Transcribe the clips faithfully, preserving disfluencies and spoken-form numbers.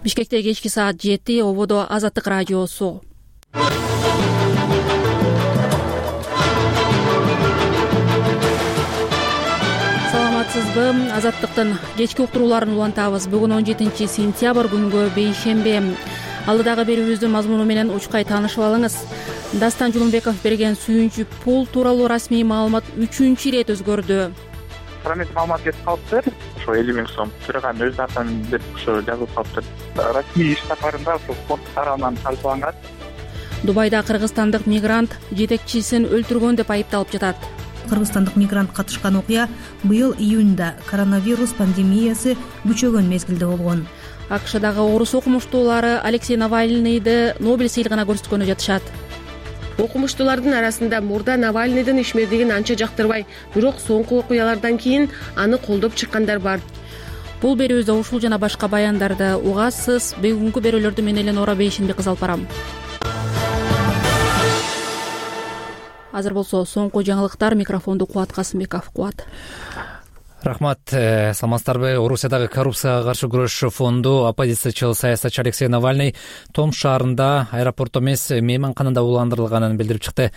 Бишкекте кечки саат жети, ободо Азаттык радиосу. Саламатсызбы? Азаттыктын кечки уктурууларын улантабыз. Бүгүн он жетинчи сентябрь күнгө бейшембе. Алдыдагы берүүбүздүн мазмуну менен учкай таанышып алыңыз. Дастан Жулунбеков берген сүйүнчү пул тууралуу расмий маалымат үчүнчү ирет өзгөрдү. Парламент маалымат берип калыптыр. Ошо элүү миң сом төраган өз атынан деп ошо жазылып калыптыр. Расмий иш сапарында ошо фонд тарабынан талкууланган. Дубайда кыргызстандык мигрант жетекчисин өлтүргөн деп айыпталып жатат. Кыргызстандык мигрант катышкан окуя быйыл июнда коронавирус пандемиясы күчөгөн мезгилде болгон. АКШдагы орус окумуштуулары Алексей Навальныйды Нобель сыйлыгына көрсөткөнү жатышат. Окумуштуулардын арасында мурда Навальныйдын ишмердигин анча жактырбай, бирок соңку окуялардан кийин аны колдоп чыккандар бар. Бул берүүбүздө ушул жана башка баяндарды угасыз. Бүгүнкү берүүлөрдү мен Эленора Бейшенбек алып барам. Азыр болсо соңку жаңылыктар. Микрофонду Кубат Касымбеков. Кубат. Рахмат. Саламатсыздарбы? Орусиядагы коррупцияга каршы күрөш фонду оппозициячыл саясатчы Алексей Навальный Том шаарында аэропорт эмес мейманканада уландырылганын билдирип чыкты.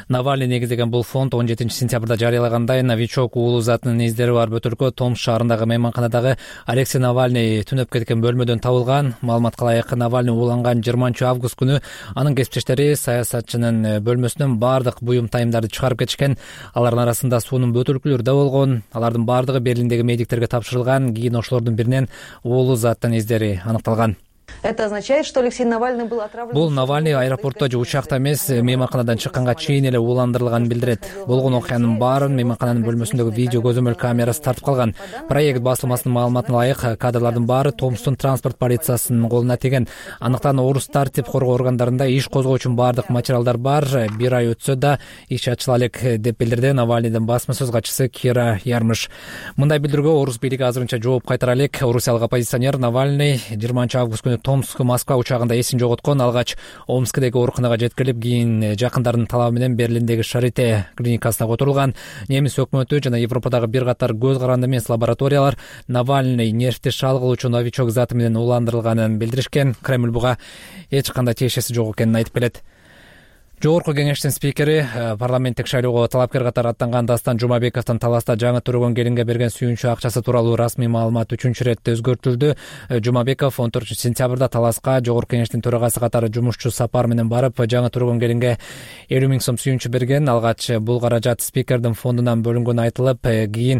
Навальный негиздеген бул фонд он жетинчи сентябрда жарыялагандай новичок уулу затынын издери бар бөтөлкө Том шаарындагы мейманканадагы Алексей Навальный түнөп кеткен бөлмөдөн табылган. Маалыматка ылайык, Навальный ууланган жыйырманчы август күнү анын кесиптештери саясатчынын бөлмөсүнөн бардык буюм тайымдарды чыгарып кетишкен. Алардын арасында суунун бөтөлкөлөрү да болгон. Алардын бардыгы Берлиндеги медиктерге тапшырылган. Кийин ошолордун биринен уулу заттын издери аныкталган. Это означает, что Алексей Навальный был отравлен. Бул Навальный аэропортто же учакта эмес, мейманканадан чыкканга чейин эле ууландырылганын билдирет. Болгон окуянын баарын мейманкананын бөлмөсүндөгү видео көзөмөл камерасы тартып калган. Проект басылмасынын маалыматына ылайык, кадрлардын баары Томстун транспорт полициясынын колуна тиген. Андыктан орус тартип коргоо органдарында иш козгоо үчүн баардык материалдар бар. Бир ай өтсө да иш ачыла элек деп билдирди Навальныйдын басма сөз катчысы Кира Ярмыш. Мындай билдирүүгө орус бийлиги азырынча жооп кайтара элек. Орусиялык оппозиционер Навальный жыйырманчы август күнү Томск Москва учагында эсин жоготкон. Алгач Омскдеги ооруканага жеткирилип, кийин жакындарынын талабы менен Берлиндеги Шарите клиникасына которулган. Немис өкмөтү жана Европадагы бир катар көз каранды эмес лабораториялар Навальный нервти шалгылоочу новичок заты менен уландырылганын билдиришкен. Кремль буга эч кандай тиешеси жок экенин айтып келет. Жогорку кеңештин спикери, парламенттик шайлоого талапкер катары аттанган Дастан Жумабековдун таласта жаңы төрөгөн келинге берген сүйүнчү акчасы тууралуу расмий маалымат үчүнчү ирет өзгөртүлдү. Жумабеков он төртүнчү сентябрда таласка жогорку кеңештин төрагасы катары жумушчу сапар менен барып, жаңы төрөгөн келинге элүү миң сом сүйүнчү берген. Алгач бул каражат спикердин фондунан бөлүнгөнү айтылып, кийин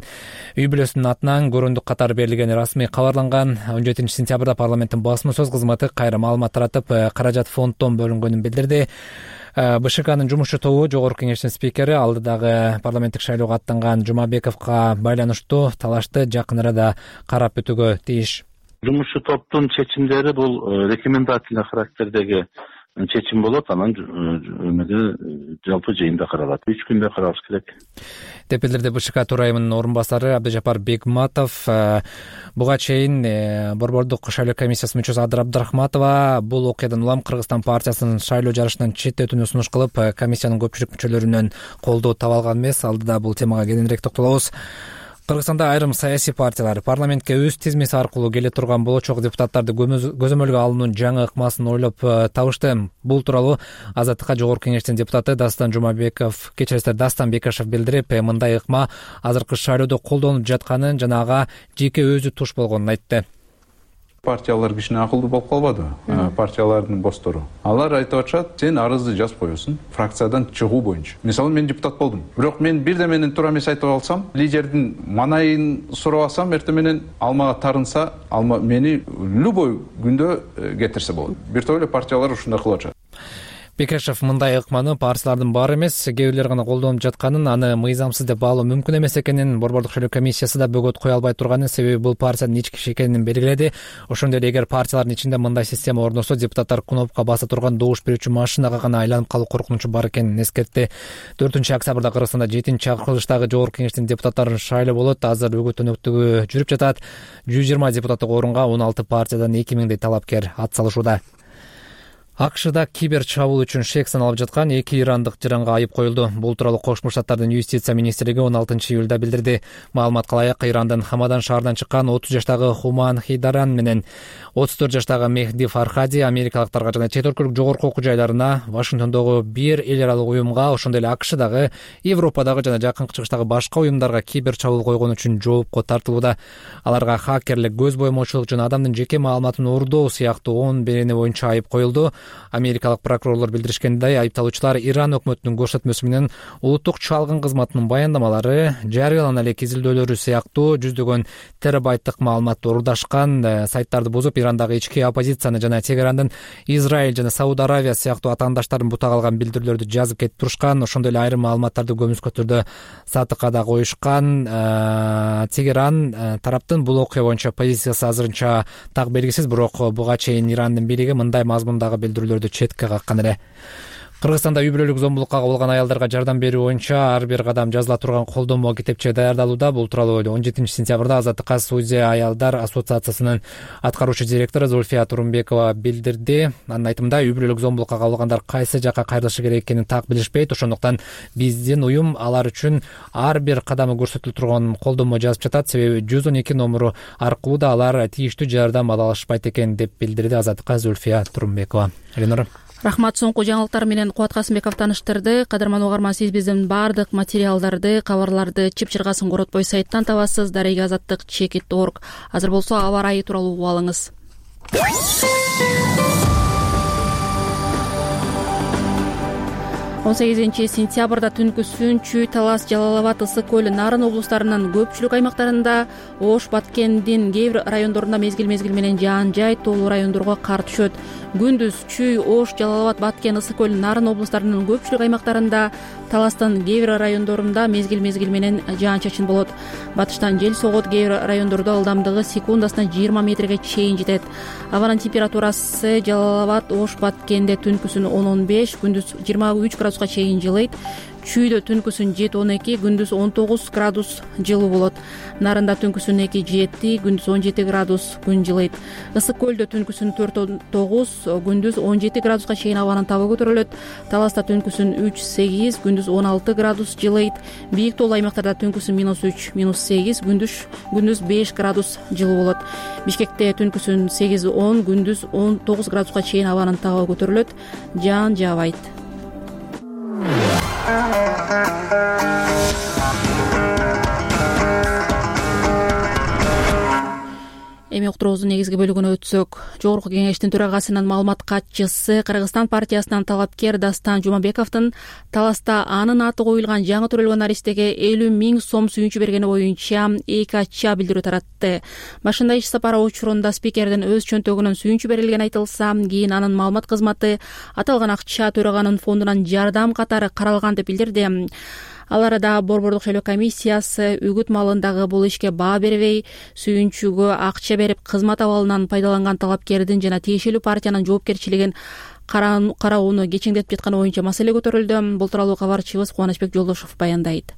үй бүлөсүнүн атынан көрүндүк катары берилгени расмий кабарланган. он жетинчи сентябрда парламенттин басма сөз кызматы кайра маалымат таратып, каражат фонддон бөлүнгөнүн билдирди. БШКнын жумушчу тобу жогорку кеңештин спикери алдыдагы парламенттик шайлоого аттанган Жумабековго байланыштуу талашты жакын арада карап өтүүгө тийиш. Жумушчу топтун чечимдери бул рекомендательный характердеги чечим болот, анан эмеде жалпы жыйында каралат. үч күндө каралыш керек деп билдирди БШК төрайымынын орун басары Абдыжапар Бегматов. Буга чейин Борбордук шайлоо комиссиясынын мүчөсү Адыр Абдрахматова бул окуядан улам Кыргызстан партиясынын шайлоо жарышынан четтетүүнү сунуш кылып, комиссиянын көпчүлүк мүчөлөрүнөн колдоо таба алган эмес. Алдыда бул темага кененирээк токтолобуз. Кыргызстанда айрым саясий партиялар парламентке өз тизмеси аркылуу келе турган болочок депутаттарды көзөмөлгө алуунун жаңы ыкмасын ойлоп табышты. Бул тууралуу Азаттыкка жогорку кеңештин депутаты Дастан Жумабеков, кечиресиздер Дастан Бекашев билдирип, мындай ыкма азыркы шайлоодо колдонулуп жатканын жана ага жеке өзү туш болгонун айтты. Партиялар кичине акылдуу болуп калбады. Партиялардын босстору. Алар айтып атышат, сен арызды жазып коесуң фракциядан чыгуу боюнча. Мисалы мен депутат болдум. Бирок мен бирде менен туура эмес айтып алсам, лидердин манайын сурап алсам, эртең менен алмага тарынса, алма мени любой күндө кетирсе болот. Бир топ эле партиялар ушундай кылып атышат. Бекешев мындай ыкманы партиялардын баары эмес, кээ бирлери гана колдонуп жатканын, аны мыйзамсыз деп баалоо мүмкүн эмес экенин, Борбордук шайлоо комиссиясы да бөгөт кое албай турганын, себеби бул партиянын ички иши экенин белгиледи. Ошондой эле эгер партиялардын ичинде мындай система орношсо, депутаттар кнопка баса турган добуш берүүчү машинага гана айланып калуу коркунучу бар экенин эскертти. төртүнчү октябрда Кыргызстанда жетинчи акырылыштагы жогорку кеңештин депутаттарын шайлоо болот. Азыр өгөтөнөктүгү жүрүп жатат. жүз жыйырма депутаттык орунга он алты партиядан эки миңдей талапкер ат салышууда. акшда кибер чабуул үчүн шек саналып жаткан эки ирандык жаранга айып коюлду. Бул тууралуу Кошмо Штаттардын юстиция министрлиги он алтынчы июлда билдирди. Маалыматка ылайык, Ирандын Хамадан шаарынан чыккан отуз жаштагы Хуман Хидаран менен отуз төрт жаштагы Мехди Фархади америкалыктарга жана чет өлкөлүк жогорку окуу жайларына, Вашингтондогу бир эл аралык уюмга, ошондой эле акшдагы, Европадагы жана Жакынкы Чыгыштагы башка уюмдарга кибер чабуул койгон үчүн жоопко тартылууда. Аларга хакерлик, көз боемоочулук жана адамдын жеке маалыматын уурдоо сыяктуу он берени боюнча айып коюлду. Америкалык прокурорлор билдиришкендей, айыпталуучулар Иран өкмөтүнүн көрсөтмөсү менен улуттук чалгын кызматынын баяндамалары, жарыялана элек изилдөөлөрү сыяктуу жүздөгөн терабайттык маалыматты уурдашкан, сайттарды бузуп, Ирандагы ички оппозицияны жана Тегерандын Израиль жана Сауд Аравия сыяктуу атаандаштарын бутак алган билдирүүлөрдү жазып кетип турушкан. Ошондой эле айрым маалыматтарды көмүскө түрдө сатыкка да коюшкан. Тегеран тараптын бул окуя боюнча позициясы азырынча так белгисиз, бирок буга чейин Ирандын бийлиги мындай мазмундагы билдирүүлөрдү четке каккан эле. Кыргызстанда үй бүлөлүк зомбулукка кабылган аялдарга жардам берүү боюнча ар бир кадам жазыла турган колдонмо китепче даярдалууда. Бул тууралуу он жетинчи сентябрда Азаттыкка Судия аялдар ассоциациясынын аткаруучу директору Зульфия Турумбекова билдирди. Анын айтымында, үй бүлөлүк зомбулукка кабылгандар кайсы жакка кайрылышы керек экенин так билишпейт. Ошондуктан биздин уюм алар үчүн ар бир кадамы көрсөтүлүп турган колдонмо жазып жатат. Себеби жүз он эки номуру аркылуу да алар тийиштүү жардам ала алышпайт экен, деп билдирди Азаттыкка Зульфия Турумбекова. Элинора. Рахмат. Соңку жаңылыктар менен Кубат Касымбеков таныштырды. Кадырман угарман, сиз биздин баардык материалдарды, кабарларды чып-чыргасын коротпой сайттан табасыз. Дареги азаттык чекит точка орг. Азыр болсо аба ырайы тууралуу угуп алыңыз. он сегизинчи сентябрда түнкү Сүнчү, Талас, Жалал Абад, Ысык көл, Нарын облустарынын көпчүлүк аймактарында, Ош, Баткендин кээ бир райондорунда мезгил-мезгил менен жаан жай, тоолуу райондорго кар түшөт. Күндүз Чүй, Ош, Жалал Абад, Баткен, Ысык көл, Нарын облустарынын көпчүлүк аймактарында, Таластын кээ бир райондорунда мезгил-мезгил менен жаан чачын болот. Батыштан жел согот, кээ бир райондордо ылдамдыгы секундасына жыйырма метрге чейин жетет. Абанын температурасы Жалал Абад, Ош, Баткенде түнкүсүн он он беш, күндүз жыйырма үч градуска чейин жылыйт. Чүйдө түнкүсүн жети он эки, күндүз он тогуз градус жылуу болот. Нарында түнкүсүн эки жети, күндүз он жети градус күн жылыйт. Ысык көлдө түнкүсүн төрт он тогуз, күндүз он жети градуска чейин абанын табы көтөрүлөт. Таласта түнкүсүн үч сегиз, күндүз он алты градус жылыйт. Бийик тоолуу аймактарда түнкүсүн минус үч, минус сегиз, күндүз күндүз беш градус жылуу болот. Бишкекте түнкүсүн сегиз он, күндүз он тогуз градуска чейин абанын табы көтөрүлөт. Жаан жаабайт. Эми уктуруубуздун негизги бөлүгүнө өтсөк, Жогорку Кеңештин төрагасынын маалымат катчысы, Кыргызстан партиясынан талапкер Дастан Жумабековдун Таласта анын аты коюлган жаңы төрөлгөн наристеге элүү миң сом сүйүнчү бергени боюнча эки ача билдирүү таратты. Башында иш сапары учурунда спикердин өз чөнтөгүнөн сүйүнчү берилгени айтылса, кийин анын маалымат кызматы аталган акча төраганын фондунан жардам катары каралган деп билдирди. Ал арада Борбордук шайлоо комиссиясы үгүт маалындагы бул ишке баа бербей, сүйүнчүгө акча берип кызмат абалынан пайдаланган талапкердин жана тиешелүү партиянын жоопкерчилигин кароону кечеңдетип жатканы боюнча маселе көтөрүлдү. Бул тууралуу кабарчыбыз Кубанычбек Жолдошов баяндайт.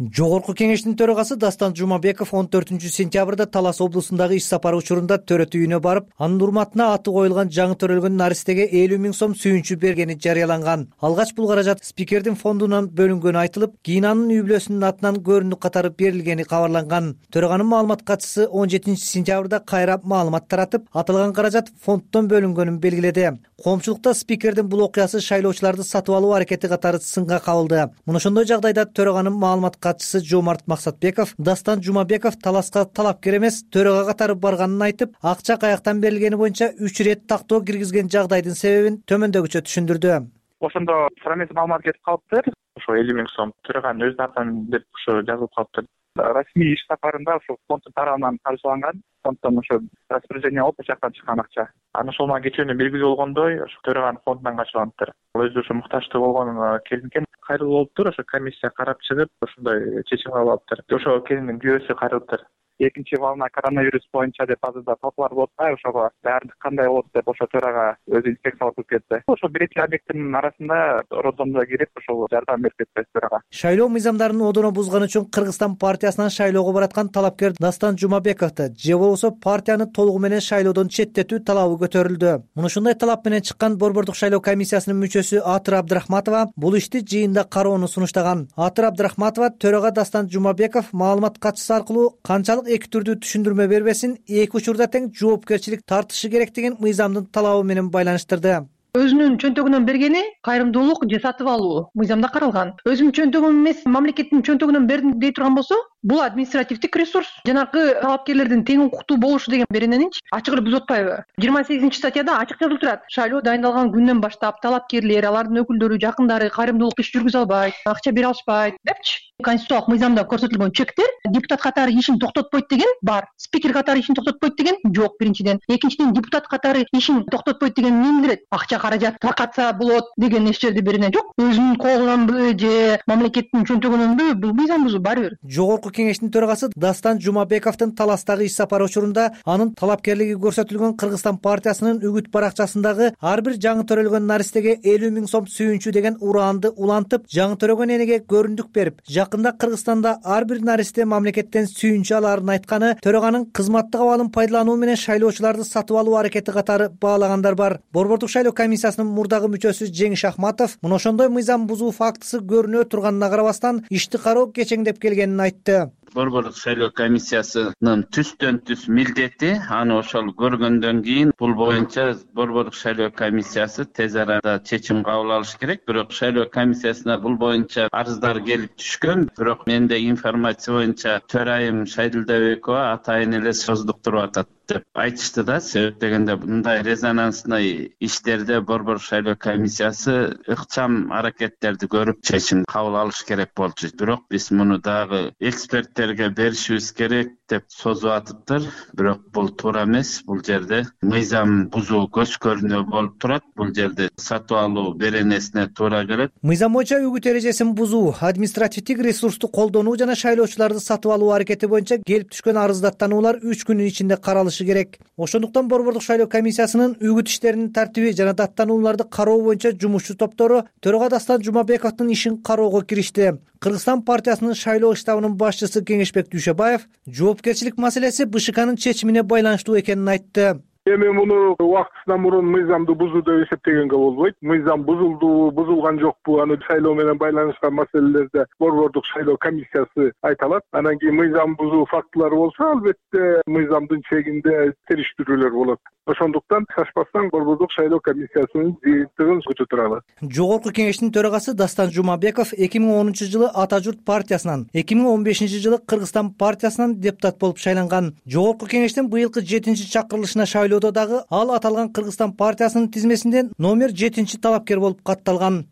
Жогорку Кеңештин төрагасы Дастан Жумабеков он төртүнчү сентябрда Талас облусундагы иш сапары учурунда төрөт үйүнө барып, анын урматына аты коюлган жаңы төрөлгөн наристеге элүү миң сом сүйүнчү бергени жарыяланган. Алгач бул каражат спикердин фондунан бөлүнгөнү айтылып, кийин анын үй бүлөсүнүн атынан көрүндүк катары берилгени кабарланган. Төраганын маалымат катчысы он жетинчи сентябрда кайра маалымат таратып, аталган каражат фонддон бөлүнгөнүн белгиледи. Коомчулукта спикердин бул окуясы шайлоочуларды сатып алуу аракети катары сынга кабылды. Мына ошондой жагдайда төраганын маалымат катчысы Жомарт Максатбеков Дастан Жумабеков Таласка талапкер эмес, төрага катары барганын айтып, акча каяктан берилгени боюнча үч ирет тактоо киргизген жагдайдын себебин төмөндөгүчө түшүндүрдү. Ошондо туура эмес маалымат кетип калыптыр. Ошо элүү миң сом төраганын өзү тарткан деп ошо жазылып калыптыр. Расмий иш сапарында ошо фонддун тарабынан каржыланган. Фонддон ошо распоряжение алып, ошол жактан чыккан акча. Анын ошол мага кечүүнү белгилүү болгондой, ошо төраганын фондунан каржыланыптыр. Ал өзү ошо муктаждуу болгон келинге кайрылып болуптур. Ошо комиссия карап чыгып, ошондой чечим кабыл алыптыр. Ошо келиндин күйөөсү кайрылыптыр. экинчи волна коронавирус боюнча деп азырда талкуулар болуп атпайбы, ошого баардык кандай болот деп ошо төрага өзү инспекциялап көрүп кетти. Ошо бир эки объекттин арасында роддомдо кирип ошол жардам берип кетти төрага. Шайлоо мыйзамдарын одоно бузганы үчүн Кыргызстан партиясынан шайлоого бараткан талапкер Дастан Жумабековду же болбосо партияны толугу менен шайлоодон четтетүү талабы көтөрүлдү. Муну ушундай талап менен чыккан Борбордук шайлоо комиссиясынын мүчөсү Атыр Абдрахматова бул ишти жыйында кароону сунуштаган. Атыр Абдрахматова төрага Дастан Жумабеков маалымат катчысы аркылуу канчалык эки түрдүү түшүндүрмө бербесин, эки учурда тең жоопкерчилик тартышы керек деген мыйзамдын талабы менен байланыштырды. Өзүнүн чөнтөгүнөн бергени кайрымдуулук же сатып алуу мыйзамда каралган. Өзүмдүн чөнтөгүм эмес, мамлекеттин чөнтөгүнөн бердим дей турган болсо, бул административдик ресурс. Жанагы талапкерлердин тең укуктуу болушу деген берененинчи ачык эле бузуп атпайбы? жыйырма сегизинчи статьяда ачык жазылып турат. Шайлоо дайындалган күндөн баштап талапкерлер, алардын өкүлдөрү, жакындары кайрымдуулук иш жүргүзө албайт, акча бере алышпайт депчи. Конституциялык мыйзамда көрсөтүлгөн чектер депутат катары ишин токтотпойт деген бар. Спикер катары ишин токтотпойт деген жок биринчиден. Экинчиден, депутат катары ишин токтотпойт деген эмне билдирет? Акча каражат таркатса болот деген эч жерде берене жок. Өзүнүн колунанбы же мамлекеттин чөнтөгүнөнбү бул мыйзам бузуу баары бир. Жогорку кеңештин төрагасы Дастан Жумабековдун Таластагы иш сапары учурунда анын талапкерлиги көрсөтүлгөн Кыргызстан партиясынын үгүт баракчасындагы ар бир жаңы төрөлгөн наристеге элүү миң сом сүйүнчү деген ураанды улантып, жаңы төрөгөн энеге көрүндүк берип, жакында Кыргызстанда ар бир наристе мамлекеттен сүйүнчү алаарын айтканы төраганын кызматтык абалын пайдалануу менен шайлоочуларды сатып алуу аракети катары баалагандар бар. Борбордук шайлоо комиссиясынын мурдагы мүчөсү Жеңиш Ахматов мына ошондой мыйзам бузуу фактысы көрүнө турганына карабастан ишти кароо кечеңдеп келгенин айтты. Борбордук шайлоо комиссиясынын түстөн түз милдети аны ошол көргөндөн кийин бул боюнча Борбордук шайлоо комиссиясы тез арада чечим кабыл алыш керек. Бирок шайлоо комиссиясына бул боюнча арыздар келип түшкөн. Бирок менде информация боюнча төрайым Шайдылдабекова атайын эле создуктуруп атат деп айтышты да. Себеп дегенде мындай резонансный иштерде Борбордук шайлоо комиссиясы ыкчам аракеттерди көрүп чечим кабыл алыш керек болчу. Бирок биз муну дагы эксперттерге беришибиз керек деп созуп атыптыр. Бирок бул туура эмес. Бул жерде мыйзам бузуу көз көрүнүү болуп турат. Бул жерде сатып алуу беренесине туура келет. Мыйзам боюнча үгүт эрежесин бузуу, административдик ресурсту колдонуу жана шайлоочуларды сатып алуу аракети боюнча келип түшкөн арыздаттануулар үч күнүн ичинде каралышы керек. Ошондуктан Борбордук шайлоо комиссиясынын үгүт иштеринин тартиби жана даттанууларды кароо боюнча жумушчу топтору төрага Дастан Жумабековдун ишин кароого киришти. Кыргызстан партиясынын шайлоо штабынын башчысы Кеңешбек Дүйшөбаев жоопкерчилик маселеси БШКнын чечимине байланыштуу экенин айтты. Эми муну убактысынан мурун мыйзамды бузуу деп эсептегенге болбойт. Мыйзам бузулду, бузулган жокпу, аны шайлоо менен байланышкан маселелерде Борбордук шайлоо комиссиясы айта алат. Анан кийин мыйзам бузуу фактылары болсо, албетте мыйзамдын чегинде териштирүүлөр болот. Ошондуктан шашпастан Борбордук шайлоо комиссиясынын жыйынтыгын көтөрө алат. Жогорку кеңештин төрагасы Дастан Жумабеков эки миң онунчу жылы Ата журт партиясынан, эки миң он бешинчи жылы Кыргызстан партиясынан депутат болуп шайланган. Жогорку кеңештин быйылкы жетинчи чакырылышына шайлоодо дагы ал аталган Кыргызстан партиясынын тизмесинде номер жетинчи талапкер болуп катталган.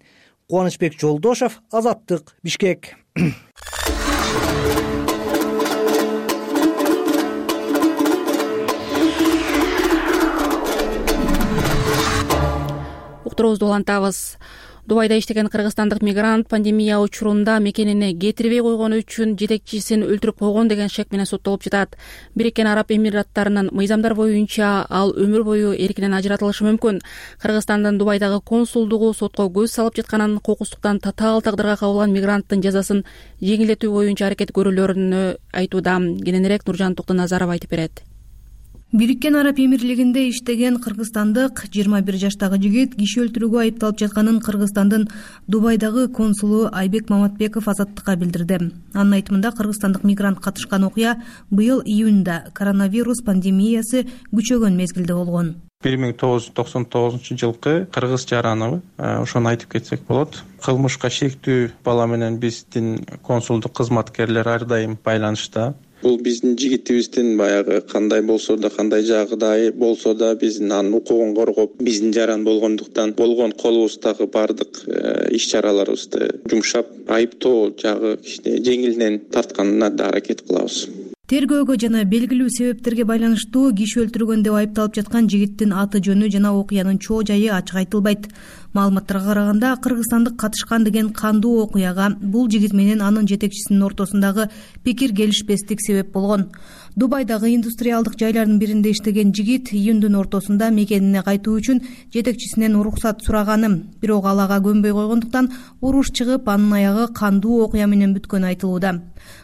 Кубанычбек Жолдошов, Азаттык, Бишкек. Уктуруубузду улантабыз. Дубайда иштеген кыргызстандык мигрант пандемия учурунда мекенине кетирбей койгону үчүн жетекчисин өлтүрүп койгон деген шек менен соттолуп жатат. Бириккен Араб Эмираттарынын мыйзамдар боюнча ал өмүр бою эркинен ажыратылышы мүмкүн. Кыргызстандын Дубайдагы консулдугу сотко көз салып жатканын, кокустуктан татаал тагдырга кабылган мигранттын жазасын жеңилдетүү боюнча аракет көрүүлөрүн айтууда. Кененирээк Нуржан Токтоназаров айтып берет. Бириккен Араб Эмирлигинде иштеген кыргызстандык жыйырма бир жаштагы жигит киши өлтүрүүгө айыпталып жатканын Кыргызстандын Дубайдагы консулу Айбек Маматбеков Азаттыкка билдирди. Анын айтымында кыргызстандык мигрант катышкан окуя быйыл июнда коронавирус пандемиясы күчөгөн мезгилде болгон. бир миң тогуз жүз токсон тогузунчу жылкы кыргыз жараны ошону айтып кетсек болот. Кылмышка шектүү бала менен биздин консулдук кызматкерлер ар дайым байланышта. Бул биздин жигитибиздин баягы кандай болсо да, кандай жагдай болсо да биздин анын укугун коргоп, биздин жаран болгондуктан болгон колубуздагы бардык иш чараларыбызды жумшап, айыптоо жагы кичине жеңилинен тартканына да аракет кылабыз. Тергөөгө жана белгилүү себептерге байланыштуу киши өлтүргөн деп айыпталып жаткан жигиттин аты жөнү жана окуянын чоо жайы ачык айтылбайт. Маалыматтарга караганда кыргызстандык катышкан деген кандуу окуяга бул жигит менен анын жетекчисинин ортосундагы пикир келишпестик себеп болгон. Дубайдагы индустриалдык жайлардын биринде иштеген жигит июндун ортосунда мекенине кайтуу үчүн жетекчисинен уруксат сураганы, бирок ал ага көнбөй койгондуктан уруш чыгып, анын аягы кандуу окуя менен бүткөнү айтылууда.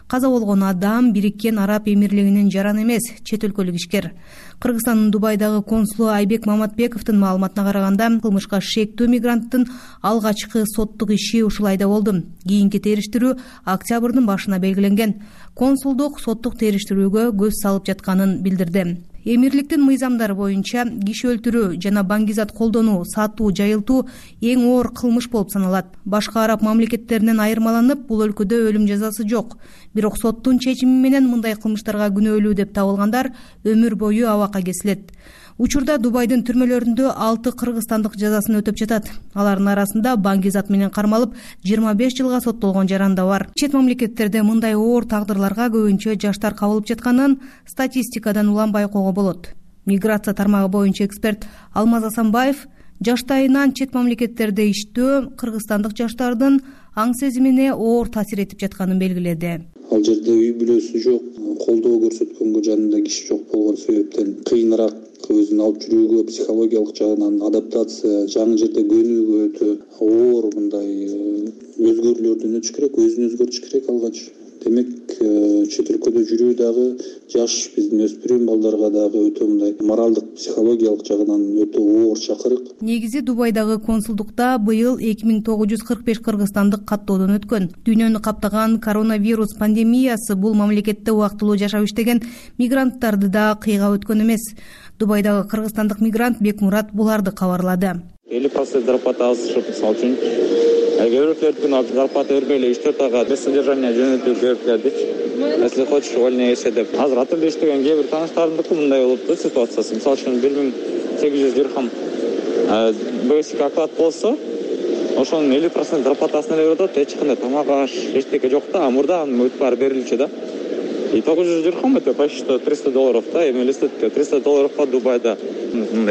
Каза болгон адам Бириккен Араб Эмирлигинин жараны эмес, чет өлкөлүк ишкер. Кыргызстандын Дубайдагы консулу Айбек Маматбековдун маалыматына караганда, кылмышка шектүү мигранттын алгачкы соттук иши ушул айда болду. Кийинки териштирүү октябрдын башына белгиленген. Консулдук соттук териштирүүгө көз салып жатканын билдирди. Эмирликтин мыйзамдары боюнча киши өлтүрүү жана баңгизат колдонуу, сатуу, жайылтуу эң оор кылмыш болуп саналат. Башка араб мамлекеттеринен айырмаланып, бул өлкөдө өлүм жазасы жок. Бирок соттун чечими менен мындай кылмыштарга күнөөлүү деп табылгандар өмүр бою абакка кесилет. Учурда Дубайдын түрмөлөрүндө алты кыргызстандык жазасын өтөп жатат. Алардын арасында баңгизат менен кармалып жыйырма беш жылга соттолгон жаран да бар. Чет мамлекеттерде мындай оор тагдырларга көбүнчө жаштар кабылып жатканын статистикадан улам байкоого болот. Миграция тармагы боюнча эксперт Алмаз Асанбаев жаштайынан чет мамлекеттерде иштөө кыргызстандык жаштардын аң сезимине оор таасир этип жатканын белгиледи. Ал жерде үй бүлөсү жок, колдоо көрсөткөнгө жанында киши жок болгон себептен кыйыныраак өзүн алып жүрүүгө, психологиялык жагынан адаптация, жаңы жерде көнүүгө өтө оор мындай өзгөрүүлөрдөн өтүш керек, өзүн өзгөртүш керек алгач. Демек, чет өлкөдө жүрүү дагы жаш биздин өспүрүм балдарга дагы өтө мындай моралдык, психологиялык жагынан өтө оор чакырык. Негизи Дубайдагы консулдукта быйыл эки миң тогуз жүз кырк беш кыргызстандык каттоодон өткөн. Дүйнөнү каптаган коронавирус пандемиясы бул мамлекетте убактылуу жашап иштеген мигранттарды да кыйгап өткөн эмес. Дубайдагы кыргызстандык мигрант Бекмурат буларды кабарлады. элүү процент зарплата азышып, мисалы үчүн Көбүрөктөрдүн зарплата бербей эле үч төрт айга без содержания жөнөтүп берип келдичи. Если хочешь, увольняй эше деп. Азыр атырда иштеген кээ бир тааныштарымдыкы мындай болупту ситуациясы. Мисалы үчүн бир миң сегиз жүз дирхам бasic оклад болсо, ошонун элүү процент зарплатасын эле берет, эч кандай тамак аш, эчтеке жок да, мурда анын бүт баары берилчү да. И тогуз жүз дирхам это почти триста долларов да, эми элестетке триста долларовго Дубайда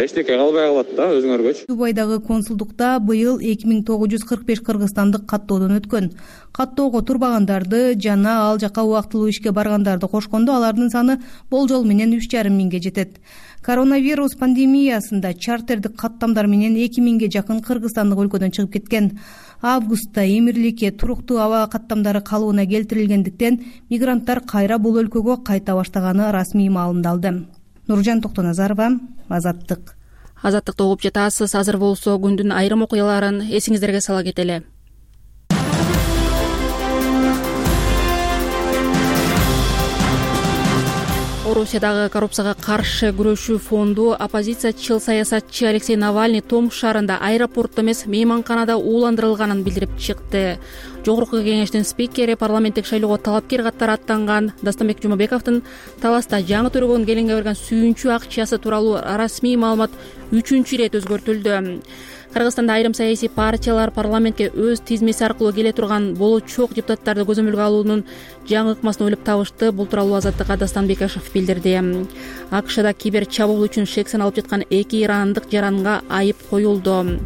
эчтеке калбай калат да, өзүңөргөчү. Дубайдагы консулдукта быйыл эки миң тогуз жүз кырк беш кыргызстандык каттоодон өткөн. Каттоого турбагандарды жана ал жака убактылуу ишке баргандарды кошкондо алардын саны болжол менен үч жарым миңге жетет. Коронавирус пандемиясында чартердик каттамдар менен эки миңге жакын кыргызстандык өлкөдөн чыгып кеткен. Августта Эмирликке туруктуу аба каттамдары калыбына келтирилгендиктен мигранттар кайра бул өлкөгө кайта баштаганы расмий маалымдалды. Нуржан Токтоназарова, Азаттык. Азаттыкты угуп жатасыз. Азыр болсо күндүн айрым окуяларын эсиңиздерге сала кетели. Орусиядагы коррупцияга каршы күрөшүү фонду оппозициячыл саясатчы Алексей Навальный Томск шаарында аэропортто эмес мейманканада ууландырылганын билдирип чыкты. Жогорку кеңештин спикери парламенттик шайлоого талапкер катары аттанган Дастанбек Жумабековдун Таласта жаңы төрөгөн келинге берген сүйүнчү акчасы тууралуу расмий маалымат үчүнчү ирет өзгөртүлдү. Кыргызстанда айрым саясий партиялар парламентке өз тизмеси аркылуу келе турган болочок депутаттарды көзөмөлгө алуунун жаңы ыкмасын ойлоп табышты. Бул тууралуу Азаттыкка Дастан Бекашев билдирди. АКШда кибер чабуул үчүн шексен алып жаткан эки ирандык жаранга айып коюлду.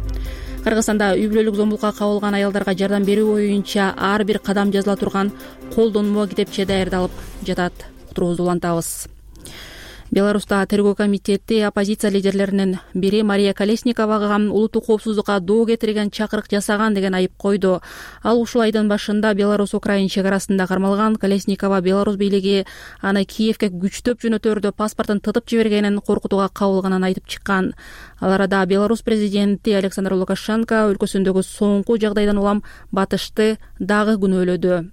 Кыргызстанда үй бүлөлүк зомбулукка кабылган аялдарга жардам берүү боюнча ар бир кадам жазыла турган колдонмо китепче даярдалып жатат. Уктуруубузду улантабыз. Беларуста тергөө комитети оппозиция лидерлеринин бири Мария Колесниковага улуттук коопсуздукка доо кетирген чакырык жасаган деген айып койду. Ал ушул айдын башында Беларусь-Украин чек арасында кармалган. Колесникова Беларусь бийлиги аны Киевке күчтөп жөнөтөрдө паспортун тытып жибергенин, коркутууга кабылганын айтып чыккан. Ал арада Беларусь президенти Александр Лукашенко өлкөсүндөгү соңку жагдайдан улам батышты дагы күнөөлөдү.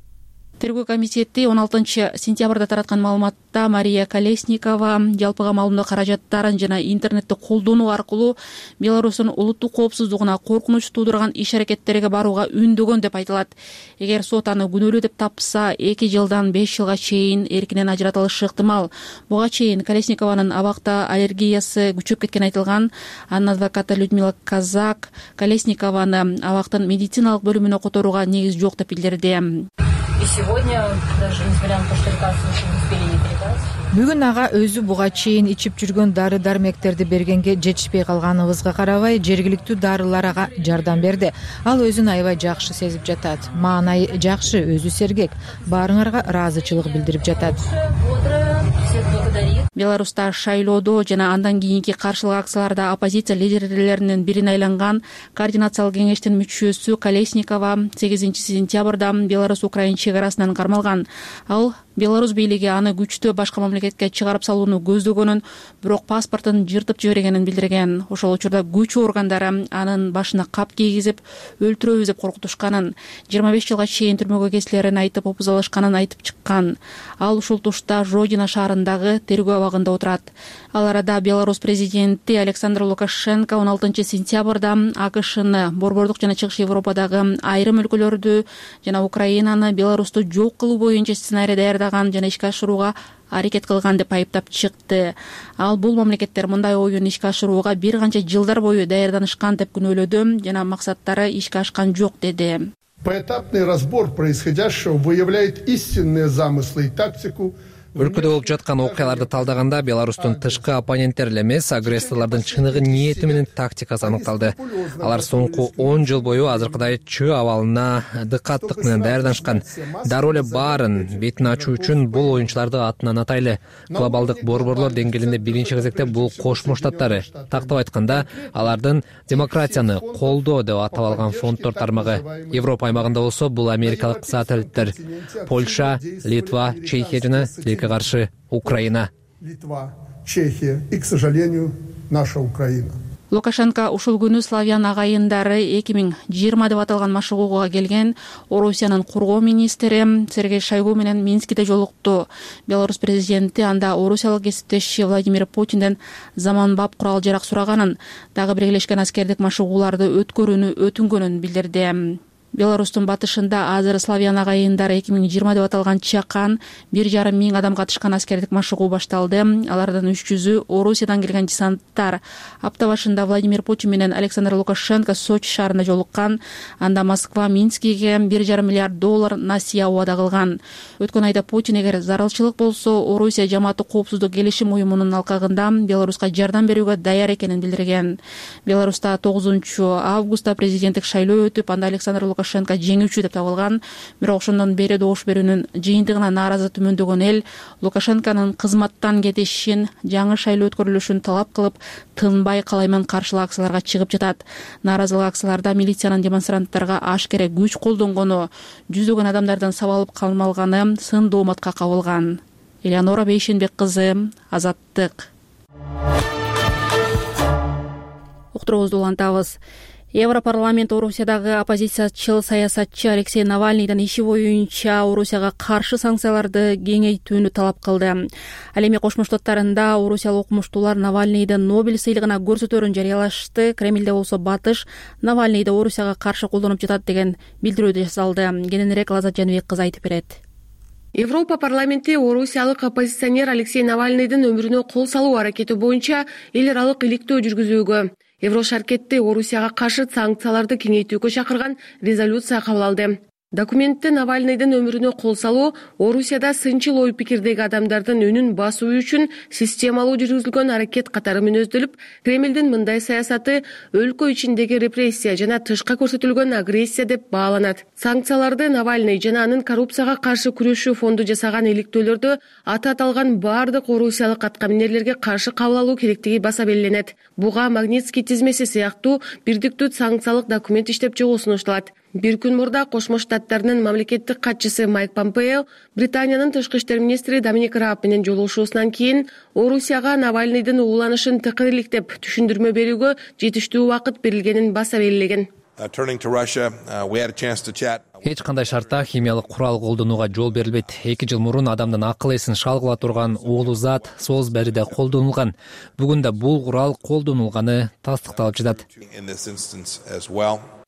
Тергөө комитети он алтынчы сентябрда тараткан маалыматта Мария Колесникова жалпыга маалымдоо каражаттарын жана интернетти колдонуу аркылуу Беларустун улуттук коопсуздугуна коркунуч туудурган иш-аракеттерге барууга үндөгөн деп айтылат. Эгер сот аны күнөөлүү деп тапса, эки жылдан беш жылга чейин эркинен ажыратылышы ыктымал. Буга чейин Колесникованын абакта аллергиясы күчөп кеткени айтылган. Анын адвокаты Людмила Казак Колесникованы абактын медициналык бөлүмүнө которууга негиз жок деп билдирди. И сегодня, даже несмотря на то, что лекарства еще не успели не передать, Бүгүн ага өзү буга чейин ичип жүргөн дары дармектерди бергенге жетишпей калганыбызга карабай жергиликтүү дарылар ага жардам берди. Ал өзүн аябай жакшы сезип жатат. Маанай жакшы, өзү сергек. Баарыңарга ыраазычылык билдирип жатат. Беларуста шайлоодо жана андан кийинки каршылык акцияларда оппозиция лидерлеринин бирине айланган координациялык кеңештин мүчөсү Колесникова сегизинчи сентябрда Беларусь-Украин чек арасынан кармалган. Ал Беларусь бийлиги аны күчтүү башка мамлекетке чыгарып салууну көздөгөнүн, бирок паспортун жыртып жибергенин билдирген. Ошол учурда күч органдары анын башына кап кийгизип, өлтүрөбүз деп коркутушканын, жыйырма беш жылга чейин түрмөгө кесилерин айтып опузалашканын айтып чыккан. Ал ушул тушта Жодино шаарындагы тергөө абагында отурат. Ал арада Беларусь президенти Александр Лукашенко он алтынчы сентябрда АКШны, Борбордук жана Чыгыш Европадагы айрым өлкөлөрдү жана Украинаны Беларусту жок кылуу боюнча сценарий даярдаган жана ишке ашырууга аракет кылган деп айыптап чыкты. Ал бул мамлекеттер мындай оюн ишке ашырууга бир канча жылдар бою даярданышкан деп күнөөлөдү жана максаттары ишке ашкан жок деди. Поэтапный разбор происходящего выявляет истинные замыслы и тактику. Өлкөдө болуп жаткан окуяларды талдаганда Беларустун тышкы оппоненттери эле эмес, агрессорлордун чыныгы ниети менен тактикасы аныкталды. Алар соңку он жыл бою азыркыдай чөө абалына дыкаттык менен даярданышкан. Дароо эле баарын бетин ачуу үчүн бул оюнчуларды атынан атайлы. Глобалдык борборлор деңгээлинде биринчи кезекте бул Кошмо Штаттары. Тактап айтканда, алардын демократияны колдоо деп атап алган фонддор тармагы. Европа аймагында болсо бул америкалык сателлиттер. Польша, Литва, Чехия жана каршы Украина. Литва, Чехия и, к сожалению, наша Украина. Лукашенко ушул күнү славян агайындары эки миң жыйырма деп аталган машыгууга келген Орусиянын кургоо министри Сергей Шойгу менен Минскиде жолукту. Беларусь президенти анда орусиялык кесиптеши Владимир Путинден заманбап курал жарак сураганын, дагы Биргелешкен аскердик машыгууларды өткөрүүнү өтүнгөнүн билдирди. Беларустун батышында азыр славян агайындары эки миң жыйырма деп аталган чакан бир жарым миң адам катышкан аскердик машыгуу башталды. Алардын үч жүзү Орусиядан келген десанттар. Апта башында Владимир Путин менен Александр Лукашенко Сочи шаарында жолуккан. Анда Москва Минскиге бир жарым миллиард доллар насыя убада кылган. Өткөн айда Путин эгер зарылчылык болсо, Орусия жамааттык коопсуздук келишим уюмунун алкагында Беларуска жардам берүүгө даяр экенин билдирген. Беларуста тогузунчу августта президенттик шайлоо өтүп, анда Александр Лукашенко жеңүүчү деп табылган. Бирок ошондон бери добуш берүүнүн жыйынтыгына нааразы түмөндөгөн эл Лукашенконун кызматтан кетишин, жаңы шайлоо өткөрүлүшүн талап кылып, тынбай калайман каршылык акцияларга чыгып жатат. Нааразылык акцияларда милициянын демонстранттарга ашкере күч колдонгону, жүздөгөн адамдардын сабалып калмалганы сын дооматка кабылган. Элеонора Бейшенбек кызы, Азаттык. Уктуруубузду улантабыз. Европарламент Орусиядагы оппозициячыл саясатчы Алексей Навальныйдын иши боюнча Орусияга каршы санкцияларды кеңейтүүнү талап кылды. Ал эми Кошмо Штаттарында орусиялык окумуштуулар Навальныйды Нобель сыйлыгына көрсөтөөрүн жарыялашты. Кремлде болсо батыш Навальныйды Орусияга каршы колдонуп жатат деген билдирүү жасалды. Кененирээк Лазат Жаныбек кызы айтып берет. Европа парламенти орусиялык оппозиционер Алексей Навальныйдын өмүрүнө кол салуу аракети боюнча эл аралык иликтөө жүргүзүүгө, Еврошаркетти Орусияга каршы санкцияларды кеңейтүүгө чакырган резолюция кабыл алды. Документте Навальныйдын өмүрүнө кол салуу Орусияда сынчыл ой пикирдеги адамдардын үнүн басуу үчүн системалуу жүргүзүлгөн аракет катары мүнөздөлүп, Кремлдин мындай саясаты өлкө ичиндеги репрессия жана тышка көрсөтүлгөн агрессия деп бааланат. Санкцияларды Навальный жана анын коррупцияга каршы күрөшүү фонду жасаган иликтөөлөрдө аты аталган баардык орусиялык аткаминерлерге каршы кабыл алуу керектиги баса белгиленет. Буга Магнитский тизмеси сыяктуу бирдиктүү санкциялык документ иштеп чыгуу сунушталат. Бир күн мурда Кошмо Штаттарынын мамлекеттик катчысы Майк Помпео Британиянын тышкы иштер министри Доминик Рааб менен жолугушуусунан кийин Орусияга Навальныйдын ууланышын тыкыриликтеп түшүндүрмө берүүгө жетиштүү убакыт берилгенин баса белгилеген. Эч кандай шартта химиялык курал колдонууга жол берилбейт. эки жыл мурун адамдын акыл эсин шалгыла турган уулуу зат Солсбериде колдонулган. Бүгүн да бул курал колдонулганы тастыкталып жатат.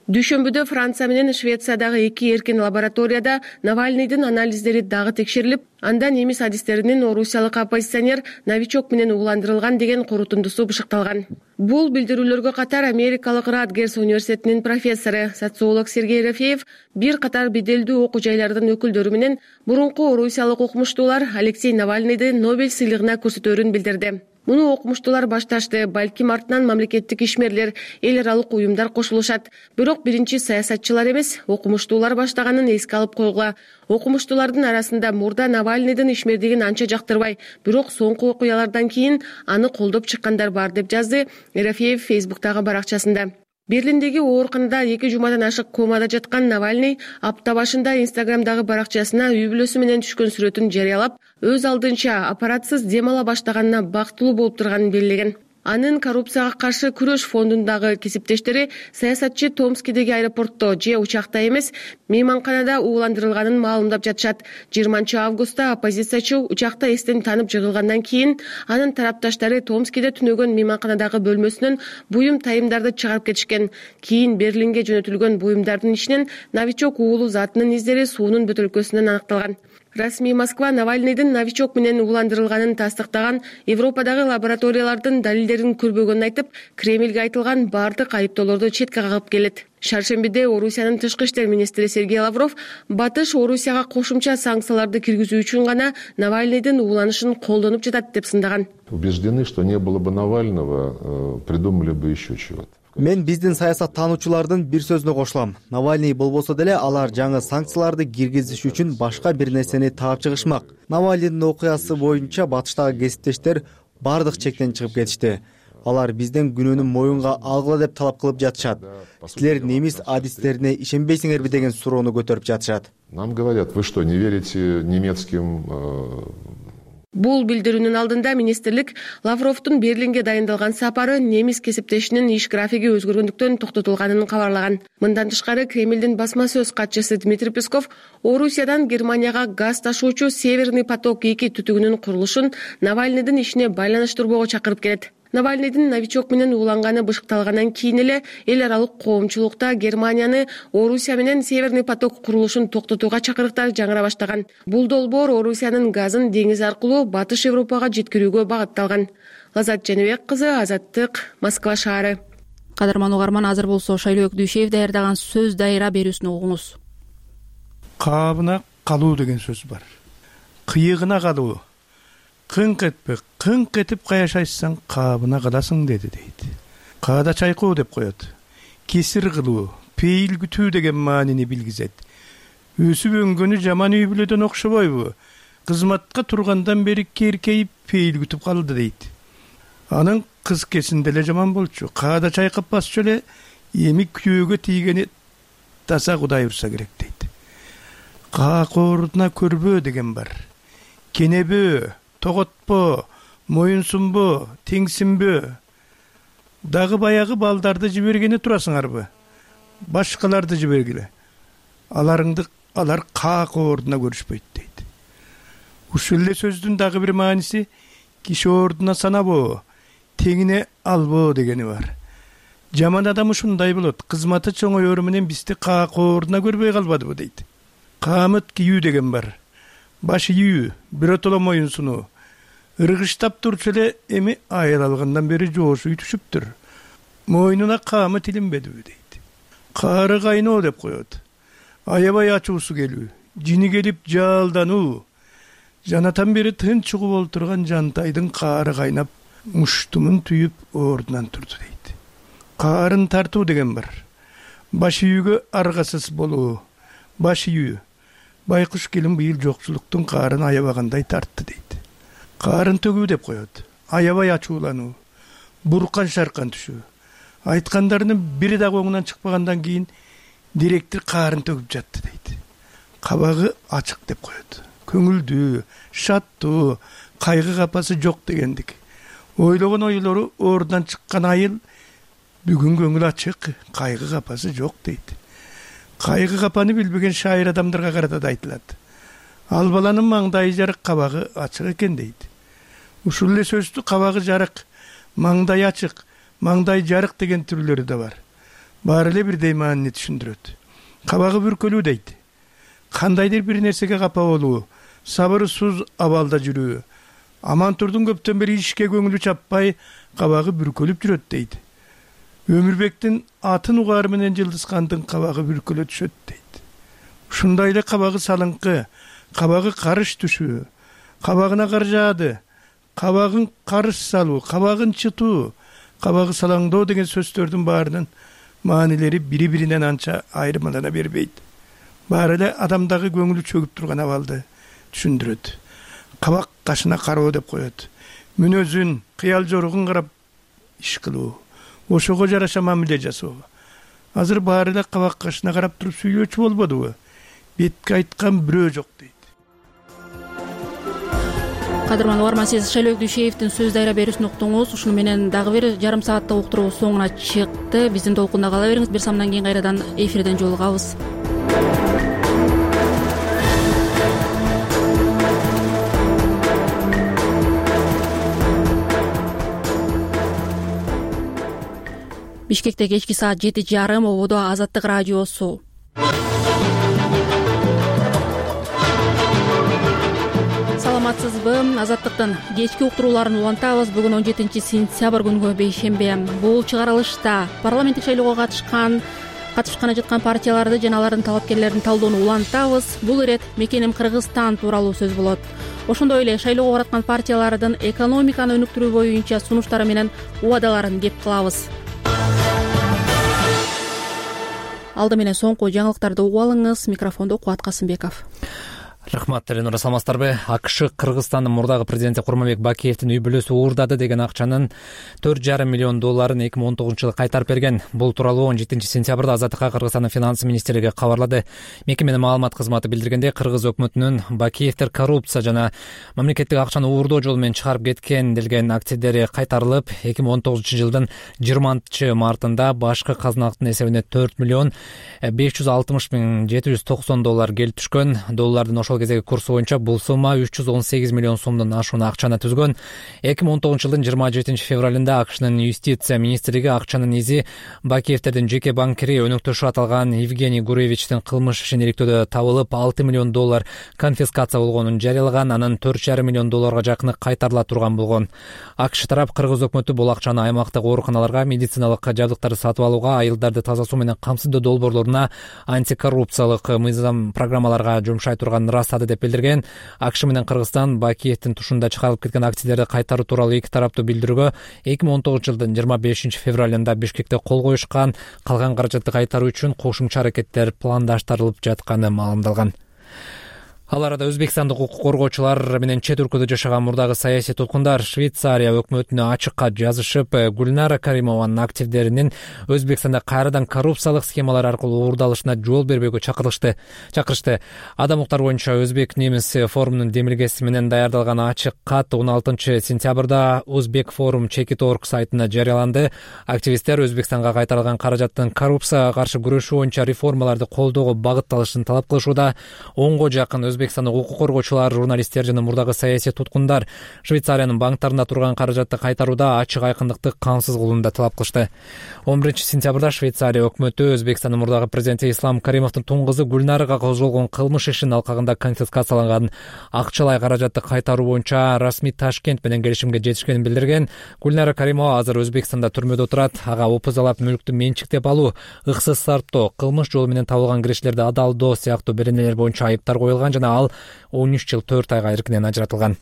Дүйшөмбүдө Франция менен Швециядагы эки эркин лабораторияда Навальныйдын анализдери дагы текшерилип, анда немис адистеринин орусиялык оппозиционер новичок менен ууландырылган деген корутундусу бышыкталган. Бул билдирүүлөргө катар америкалык Радгерс университетинин профессору, социолог Сергей Ерофеев бир катар беделдүү окуу жайлардын өкүлдөрү менен мурунку орусиялык окумуштуулар Алексей Навальныйды Нобель сыйлыгына көрсөтөөрүн билдирди. Муну окумуштуулар башташты, балким артынан мамлекеттик ишмерлер, эл аралык уюмдар кошулушат. Бирок биринчи саясатчылар эмес, окумуштуулар баштаганын эске алып койгула. Окумуштуулардын арасында мурда Навальныйдын ишмердигин анча жактырбай, бирок соңку окуялардан кийин аны колдоп чыккандар бар, деп жазды Ерофеев Фейсбуктагы баракчасында. Берлиндеги ооруканада эки жумадан ашык комада жаткан Навальный апта башында Инстаграмдагы баракчасына үй бүлөсү менен түшкөн сүрөтүн жарыялап, өз алдынча аппаратсыз дем ала баштаганына бактылуу болуп турганын белгилеген. Анын коррупцияга каршы күрөш фондундагы кесиптештери саясатчы Томскидеги аэропортто же учакта эмес, мейманканада ууландырылганын маалымдап жатышат. жыйырманчы августта оппозициячы учакта эстен танып жыгылгандан кийин анын тарапташтары Томскиде түнөгөн мейманканадагы бөлмөсүнөн буюм тайымдарды чыгарып кетишкен. Кийин Берлинге жөнөтүлгөн буюмдардын ичинен новичок уулу затынын издери суунун бөтөлкөсүнөн аныкталган. Расмий Москва Навальныйдын новичок менен ууландырылганын тастыктаган Европадагы лабораториялардын далилдерин көрбөгөнүн айтып, Кремльге айтылган бардык айыптоолорду четке кагып келет. Шаршембиде Орусиянын тышкы иштер министри Сергей Лавров Батыш Орусияга кошумча санкцияларды киргизүү үчүн гана Навальныйдын ууланышын колдонуп жатат деп сындаган. Убеждены, что не было бы Навального, придумали бы еще чего-то. Мен биздин саясат таануучулардын бир сөзүнө кошулам. Навальный болбосо деле алар жаңы санкцияларды киргизиш үчүн башка бир нерсени таап чыгышмак. Навальныйдын окуясы боюнча батыштагы кесиптештер бардык чектен чыгып кетишти. Алар бизден күнөөнү моюнга алгыла деп талап кылып жатышат. Силер немис адистерине ишенбейсиңерби деген суроону көтөрүп жатышат. Нам говорят, вы что, не верите немецким? Бул билдирүүнүн алдында министрлик Лавровдун Берлинге дайындалган сапары немис кесиптешинин иш графиги өзгөргөндүктөн токтотулганын кабарлаган. Мындан тышкары Кремлдин басма сөз катчысы Дмитрий Песков Орусиядан Германияга газ ташуучу Северный поток эки түтүгүнүн курулушун Навальныйдын ишине байланыштырбоого чакырып келет. Навальныйдын новичок менен ууланганы бышыкталгандан кийин эле эл аралык коомчулукта Германияны Орусия менен Северный поток курулушун токтотууга чакырыктар жаңыра баштаган. Бул долбоор Орусиянын газын деңиз аркылуу Батыш Европага жеткирүүгө багытталган. Лазат Жаныбек кызы, Азаттык, Москва шаары. Кадырман угарман, азыр болсо Шайлоок Дүйшеев даярдаган сөз дайыра берүүсүн угуңуз. Кабына калуу деген сөз бар. Кыйыгына калуу. Кыңк этпе, кыңк этип каяшайсаң, кабына каласың деди дейт. Каада чайкоо деп коет. Кесир кылуу, пейил күтүү деген маанини билгизет. Өсүп өнгөнү жаман үй бүлөдөн окшобойбу? Кызматка тургандан бери керкейип пейил күтүп калды дейт. Анын кыз кесинде эле жаман болчу. Каада чайкап басчу эле, эми күйөөгө тийгени таза Кудай урса керек дейт. Каакоордуна көрбөө деген бар. Кенебөө, тоготпо, моюнсунбо, теңсинбө. Дагы баягы балдарды жибергени турасыңарбы? Башкаларды жибергиле. Аларыңды алар каак ордуна көрүшпөйт дейт. Ушул эле сөздүн дагы бир мааниси киши ордуна санабоо, теңине албоо дегени бар. Жаман адам ушундай болот. Кызматы чоңоёру менен бизди каак ордуна көрбөй калбадыбы дейт. Камыт кийүү деген бар. Баш ийүү, биротоло моюнсунуу. Ыргыштап турчу эле эми айыл алгандан бери жоошуй түшүптүр. Мойнуна камыт илинбедиби дейт. Каары кайноо деп коет. Аябай ачуусу келүү, жини келип жаалдануу. Жанатан бери тынч угуп олтурган жантайдын каары кайнап, муштумун түйүп ордунан турду дейт. Каарын тартуу деген бар. Баш ийүүгө аргасыз болуу. Баш ийүү. Байкуш келин быйыл жокчулуктун каарын аябагандай тартты дейт. Каарын төгүү деп коет. Аябай ачуулануу. Буркан шаркан түшүү. Айткандарынын бири дагы оңунан чыкпагандан кийин директор каарын төгүп жатты дейт. Кабагы ачык деп коет. Көңүлдүү, шаттуу, кайгы капасы жок дегендик. Ойлогон ойлору ордунан чыккан айыл бүгүн көңүл ачык, кайгы капасы жок дейт. Кайгы капаны билбеген шайыр адамдарга карата да айтылат. Ал баланын маңдайы жарык, кабагы ачык экен дейт. Ушул эле сөздү кабагы жарык, маңдай ачык, маңдай жарык деген түрлөрү да бар. баары эле бирдей маанини түшүндүрөт. Кабагы бүркөлүү дейт. Кандайдыр бир нерсеге капа болуу, сабырсыз абалда жүрүү. Амантурдун көптөн бери ишке көңүлү чаппай, кабагы бүркөлүп жүрөт дейт. Өмүрбектин атын угары менен Жылдызкандын кабагы бүркөлө түшөт дейт. Ушундай эле кабагы салыңкы, кабагы карыш түшүү, кабагына кар жаады, кабагын карыш салуу, кабагын чытуу, кабагы салаңдоо деген сөздөрдүн баарынын маанилери бири-биринен анча айырмалана бербейт. Баары эле адамдагы көңүлү чөгүп турган абалды түшүндүрөт. Кабак кашына кароо деп коет. Мүнөзүн, кыял жоругун карап иш кылуу, ошого жараша мамиле жасоо. Азыр баары эле кабак кашына карап туруп сүйлөөчү болбодубу? Бетке айткан бирөө жок дейт. Кадырман угарман, сиз Шайлоо Дүйшеевдин сөз дайра берүүсүн уктуңуз. Ушуну менен дагы бир жарым сааттык уктуруу соңуна чыкты. Биздин толкунда кала бериңиз. Бир самдан кийин кайрадан эфирден жолугабыз. Бишкекте кечки саат жети жарым, ободо Азаттык радиосу. Саламатсызбы? Азаттыктын кечки уктурууларын улантабыз. Бүгүн он жетинчи сентябрь күнгө бейшембе. Бул чыгарылышта парламенттик шайлоого катышкан катышканы жаткан партияларды жана алардын талапкерлерин талдоону улантабыз. Бул ирет мекеним Кыргызстан тууралуу сөз болот. Ошондой эле шайлоого бараткан партиялардын экономиканы өнүктүрүү боюнча сунуштары менен убадаларын кеп кылабыз. Алды менен соңку жаңылыктарды угуп алыңыз. Микрофондо Кубат Касымбеков. Рахмат, Эленура, саламатсыздарбы? АКШ Кыргызстандын мурдагы президенти Курманбек Бакиевдин үй бүлөсү уурдады деген акчанын төрт жарым миллион долларын эки миң он тогузунчу жылы кайтарып берген. Бул тууралуу он жетинчи сентябрда Азаттыкка Кыргызстандын финанс министрлиги кабарлады. Мекеменин маалымат кызматы билдиргендей, Кыргыз өкмөтүнүн Бакиевдер коррупция жана мамлекеттик акчаны уурдоо жолу менен чыгарып кеткен делген активдери кайтарылып, эки миң он тогузунчу жылдын жыйырманчы мартында башкы казналыктын эсебине төрт миллион беш жүз алтымыш миң жети жүз токсон доллар келип түшкөн. Доллардын ошол кезеги курсу боюнча бул сумма үч жүз он сегиз миллион сомдон ашуун акчаны түзгөн. эки миң он тогузунчу жылдын жыйырма жетинчи февралында АКШнын юстиция министрлиги акчанын изи Бакиевдердин жеке банкири өнөктөшү аталган Евгений Гуревичтин кылмыш ишин иликтөөдө табылып, алты миллион доллар конфискация болгонун жарыялаган. Анын төрт жарым миллион долларга жакыны кайтарыла турган болгон. АКШ тарап Кыргыз өкмөтү бул акчаны аймактык ооруканаларга, медициналык жабдыктарды сатып алууга, айылдарды таза суу менен камсыздоо долбоорлоруна, антикоррупциялык мыйзам программаларга жумшай турганын ырастады деп билдирген. АКШ менен Кыргызстан Бакиевдин тушунда чыгарылып кеткен активдерди кайтаруу тууралуу эки тараптуу билдирүүгө эки миң он тогузунчу жылдын жыйырма бешинчи февралында Бишкекте кол коюшкан. Калган каражатты кайтаруу үчүн кошумча аракеттер пландаштырылып жатканы маалымдалган. Ал арада Өзбекстандык укук коргоочулар менен чет өлкөдө жашаган мурдагы саясий туткундар Швейцария өкмөтүнө ачык кат жазышып, Гүлнара Каримованын активдеринин Өзбекстанда кайрадан коррупциялык схемалар аркылуу уурдалышына жол бербөөгө чакырышты. Чакырышты. Адам укуктар боюнча Өзбек немис форумунун демилгеси менен даярдалган ачык кат он алтынчы сентябрда Өзбек форум чекит орг сайтына жарыяланды. Активисттер Өзбекстанга кайтарылган каражаттын коррупцияга каршы күрөшүү боюнча реформаларды колдоого багытталышын талап кылышууда. Онго жакын Өзбекстандык укук коргоочулар, журналисттер жана мурдагы саясий туткундар Швейцариянын банктарында турган каражатты кайтарууда ачык айкындыкты камсыз кылууну да талап кылышты. он биринчи сентябрда Швейцария өкмөтү Өзбекстандын мурдагы президенти Ислам Каримовдун тун кызы Гүлнарага козголгон кылмыш ишинин алкагында конфискацияланган акчалай каражатты кайтаруу боюнча расмий Ташкент менен келишимге жетишкенин билдирген. Гүлнара Каримова азыр Өзбекстанда түрмөдө отурат. Ага опузалап мүлктү менчиктеп алуу, ыксыз сарптоо, кылмыш жолу менен табылган кириштерди адалдоо сыяктуу беренелер боюнча айыптар коюлган жана ал он үч жыл төрт айга эркинен ажыратылган.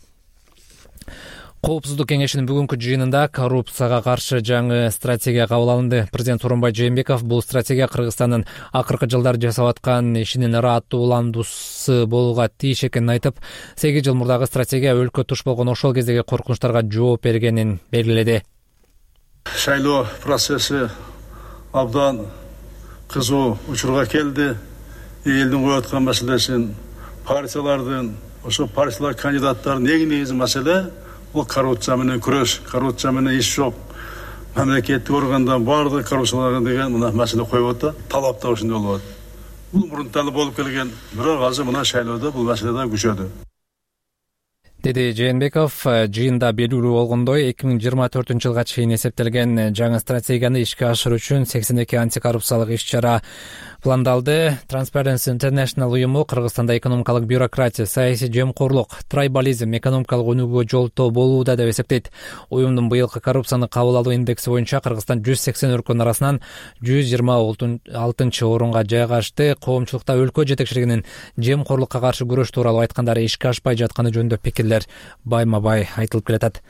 Коопсуздук кеңешинин бүгүнкү жыйынында коррупцияга каршы жаңы стратегия кабыл алынды. Президент Сооронбай Жээнбеков бул стратегия Кыргызстандын акыркы жылдары жасап аткан ишинин ырааттуу уландуусу болууга тийиш экенин айтып, сегиз жыл мурдагы стратегия өлкө туш болгон ошол кездеги коркунучтарга жооп бергенин белгиледи. Шайлоо процесси абдан кызуу учурга келди. Элдин коюп аткан маселесин, партиялардын, ошо партиялар кандидаттарын эң негизги маселе бул коррупция менен күрөш, коррупция менен иш жок. Мамлекеттик органдан баардык коррупцияларга деген мына маселе коюп атат, талап да ошондой болот. Бул мурунтан болуп келген, бирок азыр мына шайлоодо бул маселе да күчөдү. деди Жээнбеков. Жыйында белгилүү болгондой, эки миң жыйырма төртүнчү жылга чейин эсептелген жаңы стратегияны ишке ашыруу үчүн сексен эки антикоррупциялык иш-чара пландалды. Transparency International уюму Кыргызстанда экономикалык бюрократия, саясий жемкорлук, трайбализм экономикалык өнүгүүгө жолтоо болууда деп эсептейт. Уюмдун быйылкы коррупцияны кабыл алуу индекси боюнча Кыргызстан жүз сексен өлкөнүн арасынан жүз жыйырма алтынчы орунга жайгашты. Коомчулукта өлкө жетекчилигинин жемкорлукка каршы күрөш тууралуу айткандары ишке ашпай жатканы жөнүндө пикирлер байма бай айтылып келатат.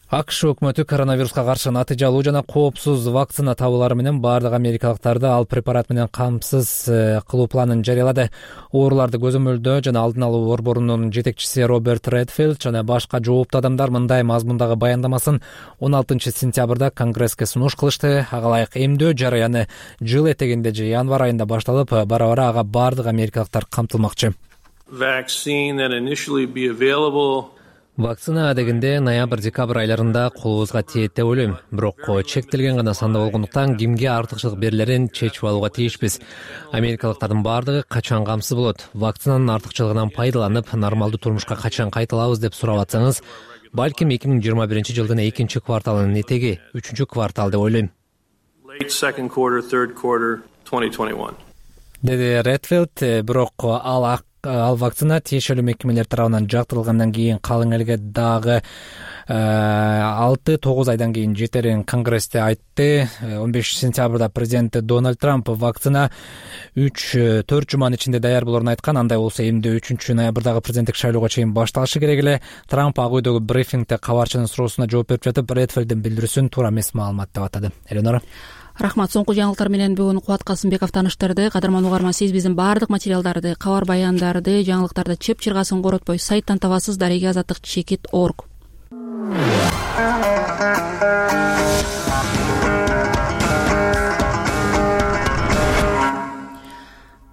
АКШ өкмөтү коронавируска каршы натыйжалуу жана коопсуз вакцина табуулары менен бардык америкалыктарды ал препарат менен камсыз кылуу планын жарыялады. Ооруларды көзөмөлдөө жана алдын алуу борборунун жетекчиси Роберт Редфилд жана башка жооптуу адамдар мындай мазмундагы баяндамасын он алтынчы сентябрда Конгресске сунуш кылышты. Ага ылайык эмдөө жарыяны жыл этегинде же январь айында башталып, бара-бара ага бардык америкалыктар камтылмакчы. Вакцина адегинде ноябрь-декабрь айларында колубузга тиет деп ойлойм. Бирок чектелген гана санда болгондуктан кимге артыкчылык берилерин чечип алууга тийишпиз. Америкалыктардын бардыгы качан камсыз болот? Вакцинанын артыкчылыгынан пайдаланып, нормалдуу турмушка качан кайталабыз деп сурап атсаңыз, балким эки миң жыйырма биринчи жылдын экинчи кварталынын этеги, үчүнчү квартал деп ойлойм. Деди Редфилд. Бирок ал ал вакцина тиешелүү мекемелер тарабынан жактырылгандан кийин калың элге дагы алты тогуз айдан кийин жетерин Конгрессте айтты. он бешинчи сентябрда президент Дональд Трамп вакцина үч төрт жуманын ичинде даяр болорун айткан. Андай болсо эмне үчүнчү ноябрдагы президенттик шайлоого чейин башталышы керек эле. Трамп ак үйдөгү брифингде кабарчынын суроосуна жооп берип жатып, Редфилддин билдирүүсүн туура эмес маалымат деп атады. Эленора. Рахмат. Соңку жаңылыктар менен бүгүн Кубат Касымбеков таныштырды. Кадырман угарман, сиз биздин бардык материалдарды, кабар баяндарды, жаңылыктарды чеп чыргасын коротпой сайттан табасыз. дареге азаттык чекит точка орг.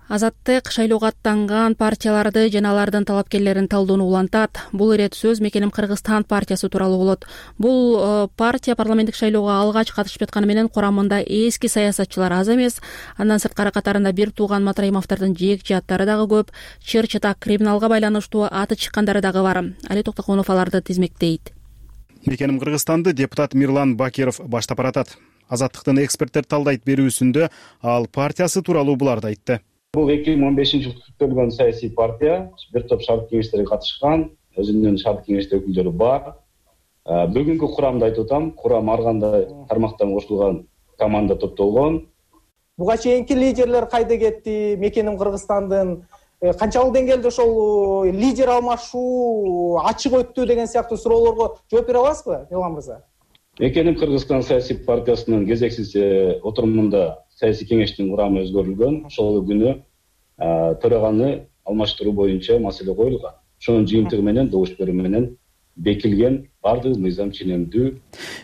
Азаттык шайлоого аттанган партияларды жана алардын талапкерлерин талдоону улантат. Бул ирет сөз Мекеним Кыргызстан партиясы тууралуу болот. Бул партия парламенттик шайлоого алгач катышып жатканы менен курамында эски саясатчылар аз эмес. Андан сырткары катарында бир тууган Матраимовдордун жеекчи аттары дагы көп. Чыр чатак криминалга байланыштуу аты чыккандары дагы бар. Али Токтоконов аларды тизмектейт. Мекеним Кыргызстанды депутат Мирлан Бакиров баштап баратат. Азаттыктын эксперттер талдайт берүүсүндө ал партиясы тууралуу буларды айтты. Бул эки миң он бешинчи жылы түзүлгөн саясий партия, бир топ шарт кеңештерге катышкан, өзүнүн шарт кеңеште өкүлдөрү бар. Бүгүнкү курамды айтып атам, курам ар кандай тармактан кошулган команда топтолгон. Буга чейинки лидерлер кайда кетти? Мекеним Кыргызстандын канчалык деңгээлде ошол лидер алмашуу ачык өттү деген сыяктуу суроолорго жооп бере аласызбы, Мирлан мырза? Мекеним Кыргызстан саясий партиясынын кезексиз отурумунда саясий кеңештин курамы өзгөрүлгөн. Ошол күнү төраганы алмаштыруу боюнча маселе коюлган. Ошонун жыйынтыгы менен добуш берүү менен бекилген бардык мыйзам ченемдүү.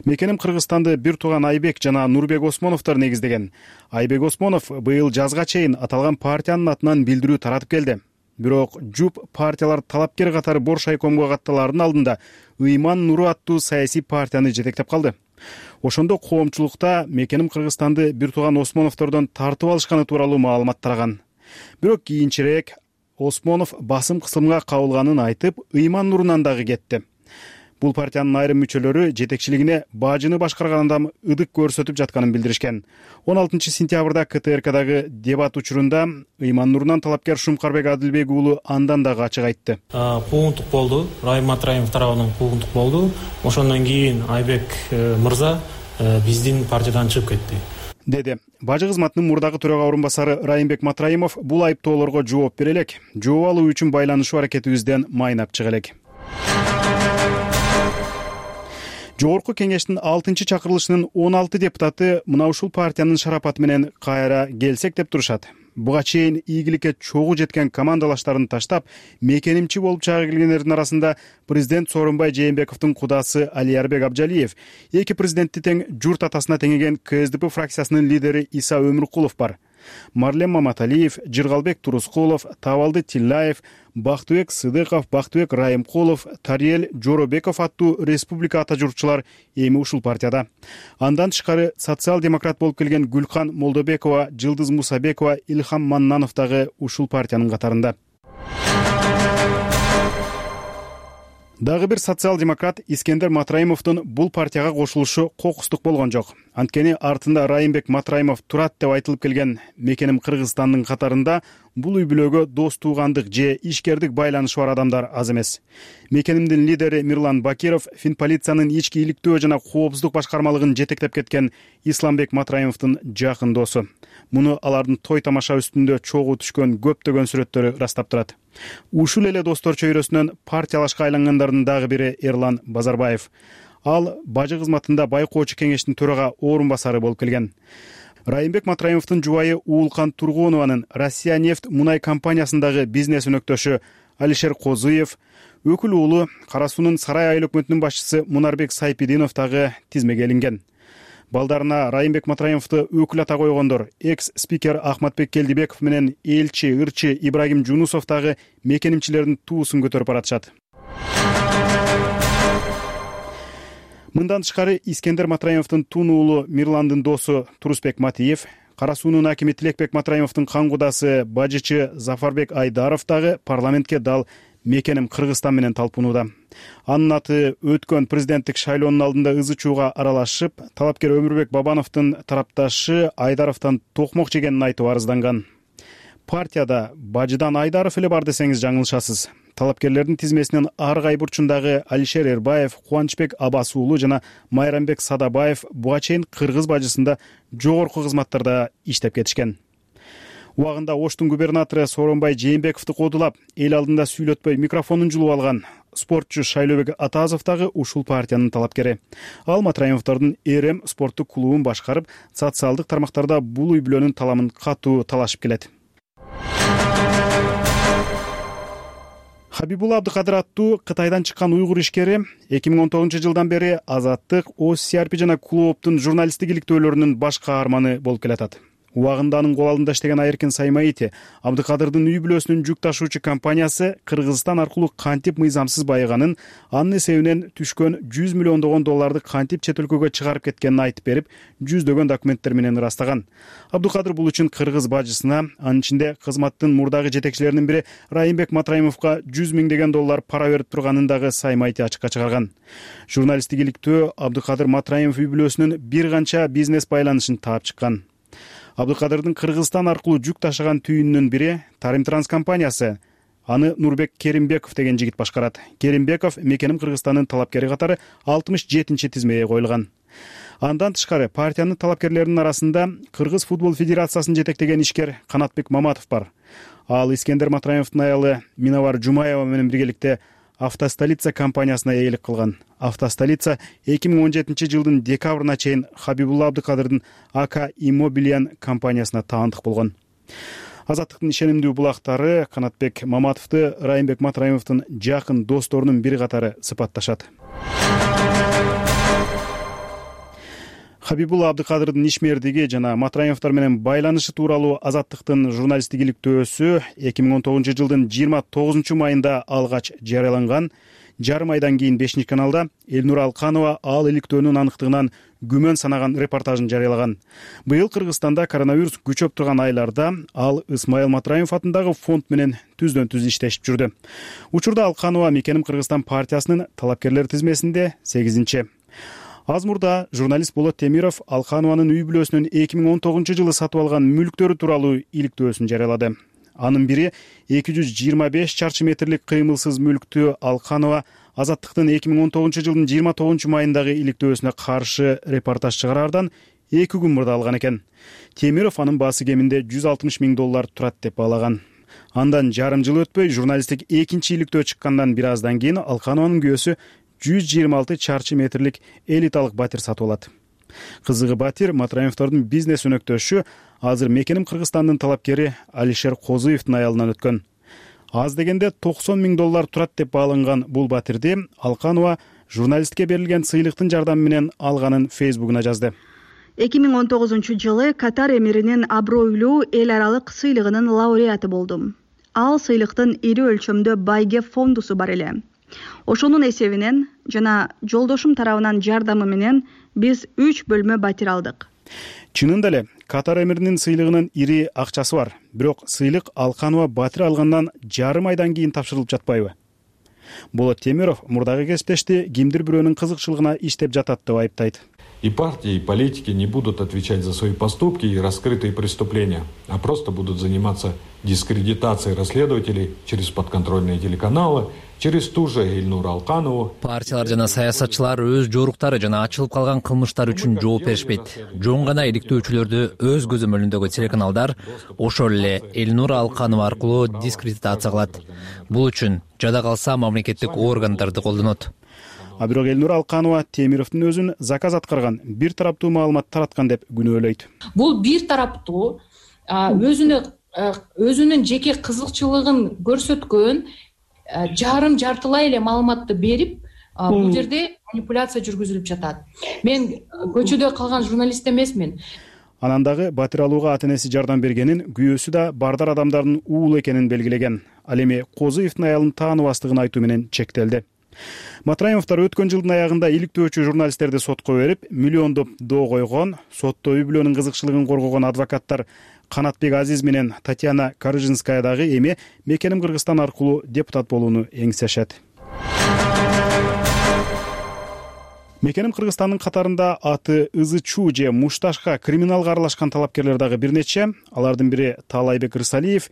Мекеним Кыргызстанды бир тууган Айбек жана Нурбек Осмоновдор негиздеген. Айбек Осмонов быйыл жазга чейин аталган партиянын атынан билдирүү таратып келди. Бирок ЖУП партиялар талапкер катары Боршайкомго катталаардын алдында Ыйман Нуру аттуу саясий партияны жетектеп калды. Ошондо коомчулукта Мекеним Кыргызстанды бир тууган Осмоновдордон тартып алышканы тууралуу маалымат тараган. Бирок кийинчерээк Осмонов басым кысымга кабылганын айтып, Ыйман Нурунан дагы кетти. Бул партиянын айрым мүчөлөрү жетекчилигине бажыны башкарган адам ыдык көрсөтүп жатканын билдиришкен. он алтынчы сентябрда КТРКдагы дебат учурунда Ыйман Нурунан талапкер Шумкарбек Адилбек уулу андан дагы ачык айтты. Куугунтук болду. Райым Матраимов тарабынан куугунтук болду. Ошондон кийин Айбек мырза биздин партиядан чыгып кетти, деди. Бажы кызматынын мурдагы төрага орун басары Райымбек Матраимов бул айыптоолорго жооп бере элек. Жооп алуу үчүн байланышуу аракетибизден майнап чыга элек. Жогорку кеңештин алтынчы чакырылышынын он алты депутаты мына ушул партиянын шарапаты менен кайра келсек деп турушат. Буга чейин ийгиликке чогуу жеткен командалаштарын таштап, мекенимчи болуп чыга келгендердин арасында президент Сооронбай Жээнбековдун кудасы Алиярбек Абжалиев, эки президентти тең журт атасына теңеген КСДП фракциясынын лидери Иса Өмүркулов бар. Марлен Маматалиев, Жыргалбек Турускулов, Табалды Тиллаев, Бактыбек Сыдыков, Бактыбек Райымкулов, Тариел Жоробеков аттуу республика ата журтчулар эми ушул партияда. Андан тышкары социал-демократ болуп келген Гүлкан Молдобекова, Жылдыз Мусабекова, Илхам Маннанов дагы ушул партиянын катарында. Дагы бир социал-демократ Искендер Матраимовдун бул партияга кошулушу кокустук болгон жок. Анткени артында Райымбек Матраимов турат деп айтылып келген мекеним Кыргызстандын катарында бул үй бүлөгө дос туугандык же ишкердик байланышы бар адамдар аз эмес. Мекенимдин лидери Мирлан Бакиров Финполициянын ички иликтөө жана коопсуздук башкармалыгын жетектеп кеткен Исламбек Матраимовдун жакын досу. Муну алардын той тамаша үстүндө чогуу түшкөн көптөгөн сүрөттөрү ырастап турат. Ушул эле достор чөйрөсүнөн партиялашка айлангандардын дагы бири Эрлан Базарбаев. Ал бажы кызматында байкоочу кеңештин төрага орун басары болуп келген. Райымбек Матраимовдун жубайы Уулкан Тургунованын Россия нефть мунай компаниясындагы бизнес өнөктөшү Алишер Козыев, өкүл уулу Кара суунун Сарай айыл өкмөтүнүн башчысы Мунарбек Сайпидинов дагы тизмеге илинген. Балдарына Райымбек Матраимовду өкүл ата койгондор экс-спикер Ахматбек Келдибеков менен элчи, ырчы Ибрагим Жунусов дагы мекенимчилердин туусун көтөрүп баратышат. Мындан тышкары Искендер Матраимовдун тун уулу Мирландын досу Турусбек Матиев, Кара суунун акими Тилекбек Матраимовдун кан кудасы бажычы Зафарбек Айдаров дагы парламентке дал мекеним Кыргызстан менен талпынууда. Анын аты өткөн президенттик шайлоонун алдында ызы чууга аралашып, талапкер Өмүрбек Бабановдун тарапташы Айдаровдон токмок жегенин айтып арызданган. Партияда бажыдан Айдаров эле бар десеңиз жаңылышасыз. Талапкерлердин тизмесинин ар кай бурчундагы Алишер Эрбаев, Кубанычбек Абас уулу жана Майрамбек Садабаев буга чейин кыргыз бажысында жогорку кызматтарда иштеп кетишкен. Убагында Оштун губернатору Сооронбай Жээнбековду кодулап, эл алдында сүйлөтпөй микрофонун жулуп алган спортчу Шайлообек Атазов дагы ушул партиянын талапкери. Ал Матраимовдордун Эрем спорттук клубун башкарып, социалдык тармактарда бул үй бүлөнүн таламын катуу талашып келет. Хабибулла Абдыкадыр аттуу Кытайдан чыккан уйгур ишкери эки миң он тогузунчу жылдан бери Азаттык, О С Р П жана клубтун журналисттик иликтөөлөрүнүн баш каарманы болуп келатат. Убагында анын кол алдында иштеген Айыркин Саймаити Абдыкадырдын үй бүлөсүнүн жүк ташуучу компаниясы Кыргызстан аркылуу кантип мыйзамсыз байыганын, анын эсебинен түшкөн жүз миллиондогон долларды кантип чет өлкөгө чыгарып кеткенин айтып берип, жүздөгөн документтер менен ырастаган. Абдыкадыр бул үчүн кыргыз бажысына, анын ичинде кызматтын мурдагы жетекчилеринин бири Райымбек Матраимовго жүз миңдеген доллар пара берип турганын дагы Саймаити ачыкка чыгарган. Журналисттик иликтөө Абдыкадыр Матраимов үй бүлөсүнүн бир канча бизнес байланышын таап чыккан. Абдыкадырдын Кыргызстан аркылуу жүк ташыган түйүнүнүн бири Тарим Транс компаниясы. Аны Нурбек Керимбеков деген жигит башкарат. Керимбеков мекеним Кыргызстандын талапкери катары алтымыш жетинчи тизмеге коюлган. Андан тышкары партиянын талапкерлеринин арасында Кыргыз футбол федерациясын жетектеген ишкер Канатбек Маматов бар. Ал Искендер Матраимовдун аялы Миновар Жумаева менен биргеликте Автостолица компаниясына ээлик кылган. Автостолица эки миң он жетинчи жылдын декабрына чейин Хабибулла Абдыкадырдын АК Иммобилиан компаниясына таандык болгон. Азаттыктын ишенимдүү булактары Канатбек Маматовду Райымбек Матраимовдун жакын досторунун бири катары сыпатташат. Хабибулла Абдыкадырдын ишмердиги жана Матраимовдор менен байланышы тууралуу Азаттыктын журналисттик иликтөөсү эки миң он тогузунчу жылдын жыйырма тогузунчу майында алгач жарыяланган. Жарым айдан кийин бешинчи каналда Элнур Алканова ал иликтөөнүн аныктыгынан күмөн санаган репортажын жарыялаган. Быйыл Кыргызстанда коронавирус күчөп турган айларда ал Исмаил Матраимов атындагы фонд менен түздөн түз иштешип жүрдү. Учурда Алканова мекеним Кыргызстан партиясынын талапкерлер тизмесинде сегизинчи. Аз мурда журналист Болот Темиров Алканованын үй бүлөсүнүн эки миң он тогузунчу жылы сатып алган мүлктөрү тууралуу иликтөөсүн жарыялады. Анын бири эки жүз жыйырма беш чарчы метрлик кыймылсыз мүлктү Алканова Азаттыктын эки миң он тогузунчу жылдын жыйырма тогузунчу майындагы иликтөөсүнө каршы репортаж чыгараардан эки күн мурда алган экен. Темиров анын баасы кеминде жүз алтымыш миң доллар турат деп баалаган. Андан жарым жыл өтпөй журналисттик экинчи иликтөө чыккандан бир аздан кийин Алканованын күйөөсү жүз жыйырма алты чарчы метрлик элиталык батир сатып алат. Кызыгы батир Матраимовдордун бизнес өнөктөшү, азыр мекеним Кыргызстандын талапкери Алишер Козыевдин аялынан өткөн. Аз дегенде токсон миң доллар турат деп бааланган бул батирди Алканова журналистке берилген сыйлыктын жардамы менен алганын Фейсбугуна жазды. эки миң он тогузунчу жылы Катар эмиринин абройлуу эл аралык сыйлыгынын лауреаты болдум. Ал сыйлыктын ири өлчөмдө байге фондусу бар эле. Ошонун эсебинен жана жолдошум тарабынан жардамы менен биз үч бөлмө батир алдык. Чынында эле Катар эмиринин сыйлыгынын ири акчасы бар. Бирок сыйлык Алканова батир алгандан жарым айдан кийин тапшырылып жатпайбы? Болот Темиров мурдагы кесиптешти кимдир бирөөнүн кызыкчылыгына иштеп жатат деп айыптайт. И партии, и политики не будут отвечать за свои поступки и раскрытые преступления, а просто будут заниматься дискредитацией расследователей через подконтрольные телеканалы, через ту же Эльнуру Алканову. Партиялар жана саясатчылар өз жоруктары жана ачылып калган кылмыштар үчүн жооп беришпейт. Жөн гана иликтөөчүлөрдү өз көзөмөлүндөгү телеканалдар ошол эле Эльнура Алканова аркылуу дискредитация кылат. Бул үчүн жада калса мамлекеттик органдарды колдонот. А бирок Эльнура Алканова Темировдун өзүн заказ аткарган, бир тараптуу маалымат тараткан деп күнөөлөйт. Бул бир тараптуу өзүнө өзүнүн жеке кызыкчылыгын көрсөткөн жарым жартылай эле маалыматты берип, бул жерде манипуляция жүргүзүлүп жатат. Мен көчөдө калган журналист эмесмин. Анан дагы батир алууга ата энеси жардам бергенин, күйөөсү да бардар адамдардын уулу экенин белгилеген. Ал эми Козуевдин аялын тааныбастыгын айтуу менен чектелди. Матраимовдор өткөн жылдын аягында иликтөөчү журналисттерди сотко берип, миллиондоп доо койгон. Сотто үй бүлөнүн кызыкчылыгын коргогон адвокаттар Канатбек Азиз менен Татьяна Карыжинская дагы эми Мекеним Кыргызстан аркылуу депутат болууну эңсешет. Мекеним Кыргызстандын катарында аты Ызы Чуу же Мушташка криминалга аралашкан талапкерлер дагы бир нече. Алардын бири Таалайбек Рысалиев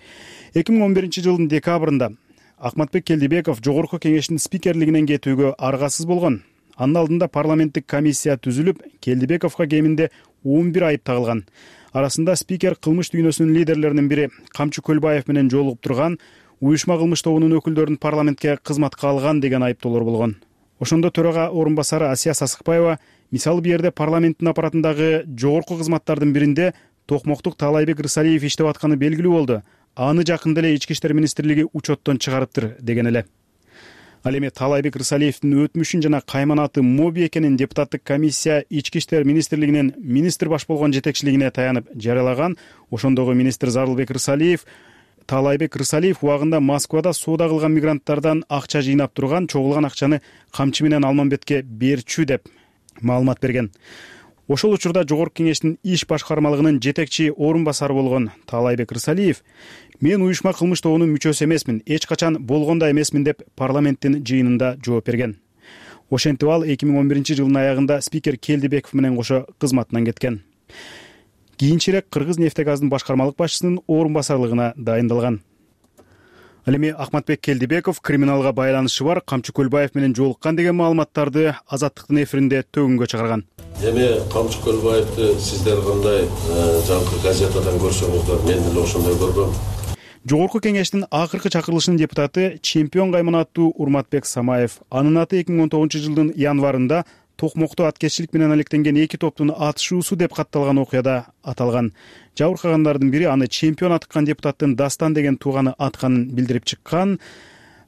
эки миң он биринчи жылдын декабрында Акматбек Келдибеков жогорку кеңештин спикерлигинен кетүүгө аргасыз болгон. Анын алдында парламенттик комиссия түзүлүп, Келдибековго кеминде он бир айып тагылган. Арасында спикер кылмыш дүйнөсүнүн лидерлеринин бири Камчы Көлбаев менен жолугуп турган, уюшма кылмыш тобунун өкүлдөрүн парламентке кызматка алган деген айыптоолор болгон. Ошондо төрага орун басары Асия Сасыкбаева мисалы бул жерде парламенттин аппаратындагы жогорку кызматтардын биринде токмоктук Таалайбек Рысалиев иштеп атканы белгилүү болду. Аны жакында эле Ички иштер министрлиги учеттон чыгарыптыр деген эле. Ал эми Таалайбек Рысалиевдин өтмүшүн жана кайманаты моби экенин депутаттык комиссия Ички иштер министрлигинин министр баш болгон жетекчилигине таянып жарыялаган. Ошондогу министр Зарылбек Рысалиев Таалайбек Рысалиев убагында Москвада соода кылган мигранттардан акча жыйнап турган, чогулган акчаны Камчы менен Алмамбетке берчү деп маалымат берген. Ошол учурда жогорку кеңештин иш башкармалыгынын жетекчи орун басары болгон Таалайбек Рысалиев мен уюшма кылмыш тобунун мүчөсү эмесмин, эч качан болгон да эмесмин деп парламенттин жыйынында жооп берген. Ошентип ал эки миң он биринчи жылдын аягында спикер Келдибеков менен кошо кызматынан кеткен. Кийинчерээк Кыргыз нефтегаздын башкармалык башчысынын орун басарлыгына дайындалган. Ал эми Акматбек Келдибеков криминалга байланышы бар Камчы Көлбаев менен жолуккан деген маалыматтарды Азаттыктын эфиринде төгүнгө чыгарган. Эми Камчы Көлбаевди сиздер кандай жаңкы газетадан көрсөңүздөр, мен деле ошондой көргөм. Жогорку кеңештин акыркы чакырылышынын депутаты чемпион кайманаттуу Урматбек Самаев. Анын аты эки миң он тогузунчу жылдын январында Токмокто аткезчилик менен алектенген эки топтун атышуусу деп катталган окуяда аталган. Жабыркагандардын бири аны чемпион атыккан депутаттын Дастан деген тууганы атканын билдирип чыккан.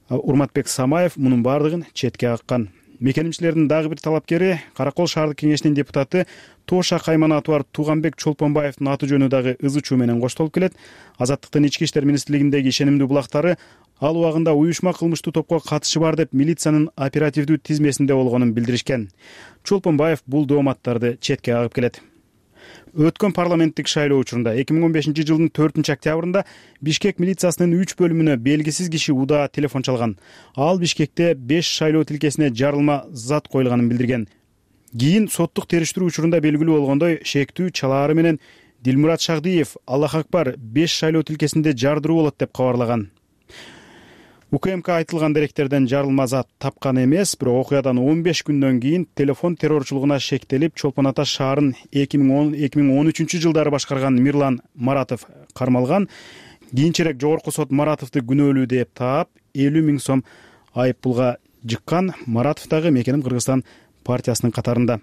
Урматбек Самаев мунун бардыгын четке каккан. Мекенимчилердин дагы бир талапкери Каракол шаардык кеңешинин депутаты Тоша кайманаты бар Туганбек Чолпонбаевдин аты жөнү дагы Ызы Чуу менен коштолуп келет. Азаттыктын ички иштер министрлигиндеги ишенимдүү булактары ал убагында уюшма кылмыштуу топко катышы бар деп милициянын оперативдүү тизмесинде болгонун билдиришкен. Чолпонбаев бул дооматтарды четке кагып келет. Өткөн парламенттик шайлоо учурунда эки миң он бешинчи жылдын төртүнчү октябрында Бишкек милициясынын үч бөлүмүнө белгисиз киши удаа телефон чалган. Ал Бишкекте беш шайлоо тилкесине жарылма зат коюлганын билдирген. Кийин соттук териштирүү учурунда белгилүү болгондой, шектүү чалаары менен Дилмурат Шагдиев Аллах акбар беш шайлоо тилкесинде жардыруу болот деп кабарлаган. УКМК айтылган деректерден жарылма зат тапкан эмес, бирок окуядан он беш күндөн кийин телефон террорчулугуна шектелип, Чолпон Ата шаарын эки миң он үчүнчү жылдары башкарган Мирлан Маратов кармалган. Кийинчерээк жогорку сот Маратовду күнөөлүү деп таап, элүү миң сом айып пулга жыккан. Маратов дагы Мекеним Кыргызстан партиясынын катарында.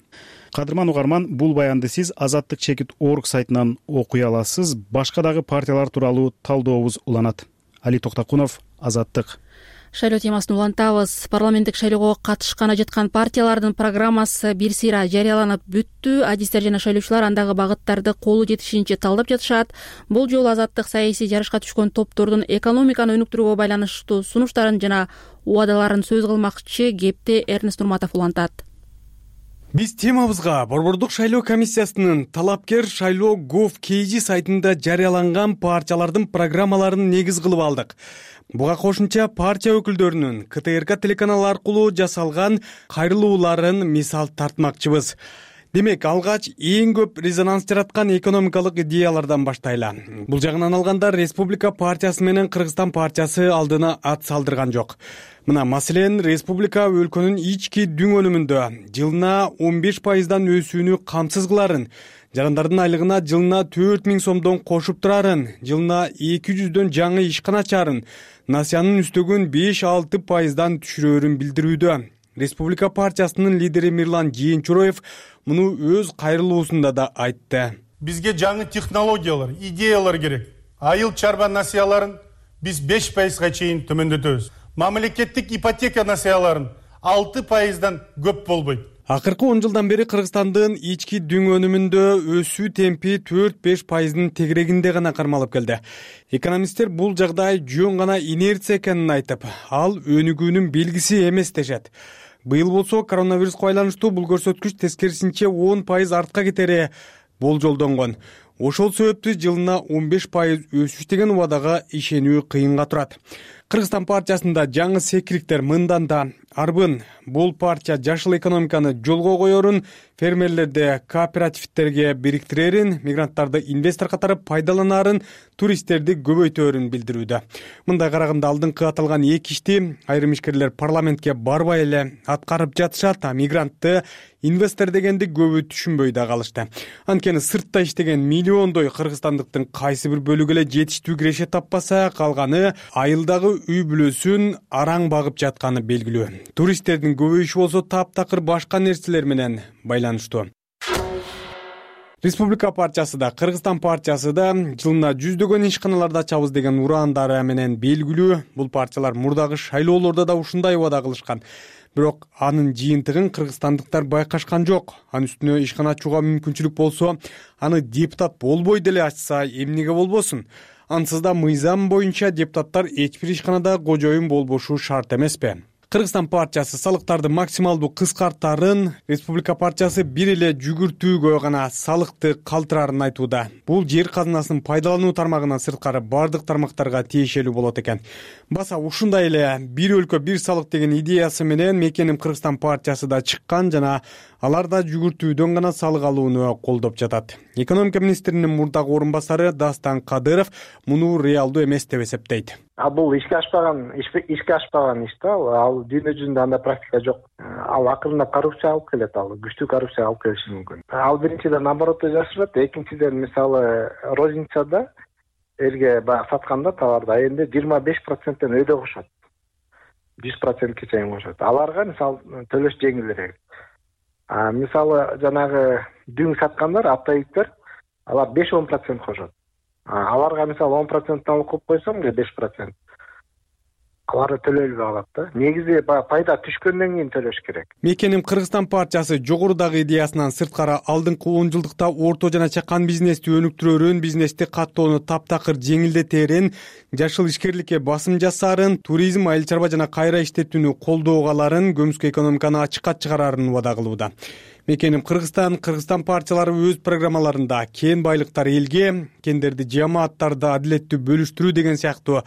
Кадырман угарман, бул баянды сиз Азаттык чекит орг сайтынан окуй аласыз. Башка дагы партиялар тууралуу талдообуз уланат. Али Токтакунов, Азаттык. Шайлоо темасын улантабыз. Парламенттик шайлоого катышканы жаткан партиялардын программасы бир сыйра жарыяланып бүттү. Адистер жана шайлоочулар андагы багыттарды колу жетишинче талдап жатышат. Бул жолу Азаттык саясий жарышка түшкөн топтордун экономиканы өнүктүрүүгө байланыштуу сунуштарын жана убадаларын сөз кылмакчы. Кепти Эрнест Нурматов улантат. Биз темабызга Борбордук шайлоо комиссиясынын талапкер шайлоо gov kg сайтында жарыяланган партиялардын программаларын негиз кылып алдык. Буга кошумча партия өкүлдөрүнүн ка тэ эр ка телеканалы аркылуу жасалган кайрылууларын мисал тартмакчыбыз. Демек, алгач эң көп резонанс жараткан экономикалык идеялардан баштайлы. Бул жагынан алганда Республика партиясы менен Кыргызстан партиясы алдына ат салдырган жок. Мына маселен, Республика өлкөнүн ички дүң өнүмүндө жылына он беш пайыздан өсүүнү камсыз кыларын, жарандардын айлыгына жылына төрт миң сомдон кошуп турарын, жылына эки жүздөн жаңы ишкана ачарын, насыянын үстөгүн беш алты пайыздан түшүрөөрүн билдирүүдө. Республика партиясынын лидери Мирлан Жээнчуроев муну өз кайрылуусунда да айтты. Бизге жаңы технологиялар, идеялар керек. Айыл чарба насыяларын биз беш пайызга чейин төмөндөтөбүз. Мамлекеттик ипотека насыяларын алты пайыздан көп болбойт. Акыркы он жылдан бери Кыргызстандын ички дүң өнүмүндө өсүү темпи төрт беш пайыздын тегерегинде гана кармалып келди. Экономисттер бул жагдай жөн гана инерция экенин айтып, ал өнүгүүнүн белгиси эмес дешет. Быйыл болсо коронавируско байланыштуу бул көрсөткүч тескерисинче он пайыз артка кетери болжолдонгон. Ошол себептүү жылына он беш пайыз өсүш деген убадага ишенүү кыйынга турат. Кыргызстан партиясында жаңы секириктер мындан да арбын. Бул партия жашыл экономиканы жолго коерун, фермерлерди кооперативтерге бириктирерин, мигранттарды инвестор катары пайдаланарын, туристтерди көбөйтөөрүн билдирүүдө. Мындай караганда алдыңкы аталган эки ишти айрым ишкерлер парламентке барбай эле аткарып жатышат, а мигрантты инвестор дегенди көбү түшүнбөй да калышты. Анткени сыртта иштеген миллиондой кыргызстандыктын кайсы бир бөлүгү эле жетиштүү киреше таппаса, калганы айылдагы үй бүлөсүн араң багып жатканы белгилүү. Туристтердин көбөйүшү болсо таптакыр башка нерселер менен байланыштуу. Республика партиясы да, Кыргызстан партиясы да жылына жүздөгөн ишканаларды ачабыз деген урандары менен белгилүү. Бул партиялар мурдагы шайлоолордо да ушундай убада кылышкан. Бирок анын жыйынтыгын кыргызстандыктар байкашкан жок. Анын үстүнө ишкана ачууга мүмкүнчүлүк болсо, аны депутат болбой деле ачса эмнеге болбосун? Ансыз да мыйзам боюнча депутаттар эч бир ишканада кожоюн болбошу шарт эмеспи? Кыргызстан партиясы салыктарды максималдуу кыскартарын, Республика партиясы бир эле жүгүртүүгө гана салыкты калтырарын айтууда. Бул жер казынасынын пайдалануу тармагынан сырткары бардык тармактарга тиешелүү болот экен. Баса ушундай эле бир өлкө бир салык деген идеясы менен Мекеним Кыргызстан партиясы да чыккан жана алар да жүгүртүүдөн гана салык алууну колдоп жатат. Экономика министринин мурдагы орун басары Дастан Кадыров муну реалдуу эмес деп эсептейт. А бул ишке ашпаган ишке ашпаган иш да, ал дүйнө жүзүндө андай практика жок. Ал акырындап коррупция алып келет, ал күчтүү коррупция алып келиши мүмкүн. Ал биринчиден наоборот жашырат, экинчиден мисалы розницада элге баягы сатканда товарды айында жыйырма беш проценттен өйдө кошот. жүз процентке чейин кошот. Аларга мисалы төлөш жеңилирээк. А мисалы жанагы дүң саткандар, оптовиктер, алар беш он процент кошот. Аларга мисалы он проценттен алып коюп койсоң, беш процент. Аларды төлөөлбөй калат да. Негизи пайда түшкөндөн кийин төлөш керек. Мекеним Кыргызстан партиясы жогорудагы идеясынан сырткары алдыңкы он жылдыкта орто жана чакан бизнести өнүктүрөөрүн, бизнести каттоону таптакыр жеңилдетерин, жашыл ишкерликке басым жасаарын, туризм, айыл чарба жана кайра иштетүүнү колдоого аларын, көмүскө экономиканы ачыкка чыгарарын убада кылууда. Мекеним Кыргызстан, Кыргызстан партиялары өз программаларында кен байлыктар элге, кендерди жамааттарды адилеттүү бөлүштүрүү деген сыяктуу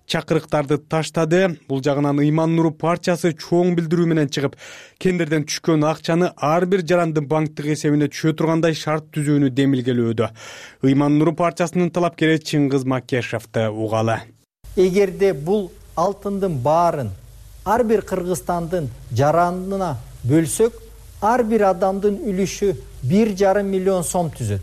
чакырыктарды таштады. Бул жагынан Ыйман Нуру партиясы чоң билдирүү менен чыгып, кендерден түшкөн акчаны ар бир жарандын банктык эсебине түшө тургандай шарт түзүүнү демилгелөөдө. Ыйман Нуру партиясынын талапкери Чыңгыз Макешевди угалы. Эгерде бул алтындын баарын ар бир кыргызстандын жаранына бөлсөк, ар бир адамдын үлүшү бир жарым миллион сом түзөт.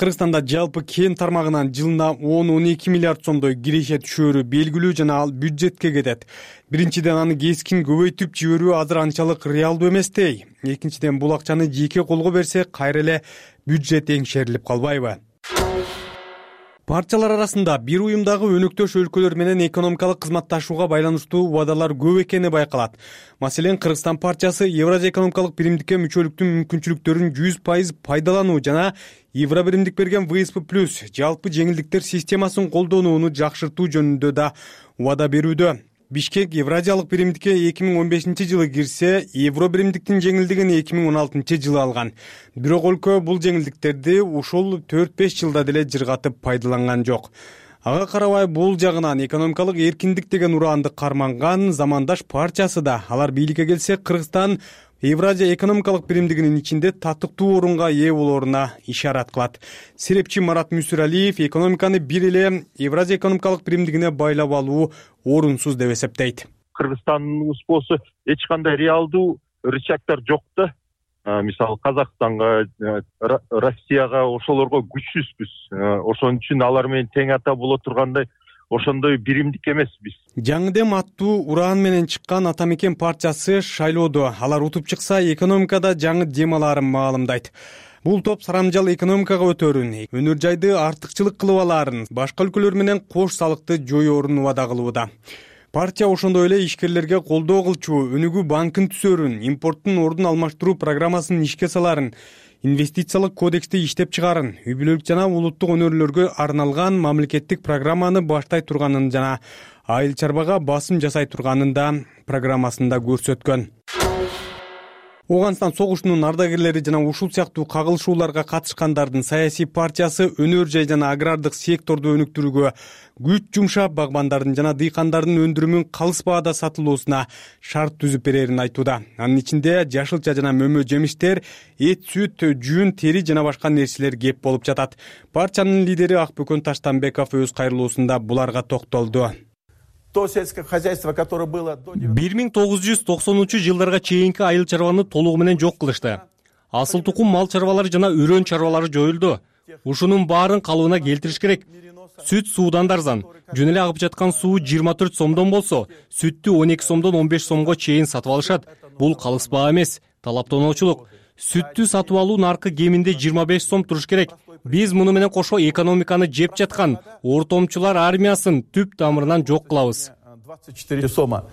Кыргызстанда жалпы кен тармагынан жылына он он эки миллиард сомдой киреше түшөөрү белгилүү жана ал бюджетке кетет. Биринчиден аны кескин көбөйтүп жиберүү азыр анчалык реалдуу эместей. Экинчиден бул акчаны жеке колго берсе, кайра эле бюджет эңшерилип калбайбы? Партиялар арасында бир уюмдагы өнөктөш өлкөлөр менен экономикалык кызматташууга байланыштуу убадалар көп экени байкалат. Маселен, Кыргызстан партиясы Евразия экономикалык биримдикке мүчөлүктүн мүмкүнчүлүктөрүн жүз пайыз пайдалануу жана Евро биримдик берген вэ эс пэ плюс жалпы жеңилдиктер системасын колдонууну жакшыртуу жөнүндө да убада берүүдө. Бишкек Евразиялык биримдикке эки миң он бешинчи жылы кирсе, Евро биримдиктин жеңилдигин эки миң он алтынчы жылы алган. Бирок өлкө бул жеңилдиктерди ушул төрт беш жылда деле жыргатып пайдаланган жок. Ага карабай бул жагынан экономикалык эркиндик деген ураанды карманган замандаш партиясы да алар бийликке келсе Кыргызстан Евразия экономикалык биримдигинин ичинде татыктуу орунга ээ болооруна ишарат кылат. Серепчи Марат Мүсүралиев экономиканы бир эле Евразия экономикалык биримдигине байлап алуу орунсуз деп эсептейт. Кыргызстандын болсо эч кандай реалдуу рычагдар жок да. Мисалы Казакстанга, Россияга ошолорго күчсүзбүз. Ошон үчүн алар менен тең ата боло тургандай ошондой биримдик эмеспиз. Жаңы дем аттуу ураан менен чыккан Ата Мекен партиясы шайлоодо алар утуп чыкса экономикада жаңы дем алаарын маалымдайт. Бул топ сарамжал экономикага өтөрүн, өнөр жайды артыкчылык кылып алаарын, башка өлкөлөр менен кош салыкты жоёорун убада кылууда. Партия ошондой эле ишкерлерге колдоо кылчу, өнүгүү банкын түзөрүн, импорттун ордун алмаштыруу программасын ишке саларын, инвестициялык кодексти иштеп чыгарын, үй бүлөлүк жана улуттук өнөрлөргө арналган мамлекеттик программаны баштай турганын жана айыл чарбага басым жасай турганын да программасында көрсөткөн. Оганстан согушунун ардагерлери жана ушул сыяктуу кагылышууларга катышкандардын саясий партиясы өнөр жай жана агрардык секторду өнүктүрүүгө күч жумшап, багбандардын жана дыйкандардын өндүрүмүн калыс баада сатылуусуна шарт түзүп берерин айтууда. Анын ичинде жашылча жана мөмө жемиштер, эт, сүт, жүн, тери жана башка нерселер кеп болуп жатат. Партиянын лидери Акбөкөн Таштанбеков өз кайрылуусунда буларга токтолду. То сельское хозяйство, которое было до бир миң тогуз жүз токсонунчу жылдарга чейинки айыл чарбаны толугу менен жок кылышты. Асыл тукум мал чарбалары жана өрөн чарбалары жоюлду. Ушунун баарын калыбына келтириш керек. Сүт суудан арзан. Жөн эле агып жаткан суу жыйырма төрт сомдон болсо, сүттү он эки сомдон он беш сомго чейин сатып алышат. Бул калыс баа эмес, талаптоочулук. Сүттү сатып алуу наркы кеминде жыйырма беш сом туруш керек. Биз муну менен кошо экономиканы жеп жаткан ортомчулар армиясын түп тамырынан жок кылабыз. двадцать четыре сома.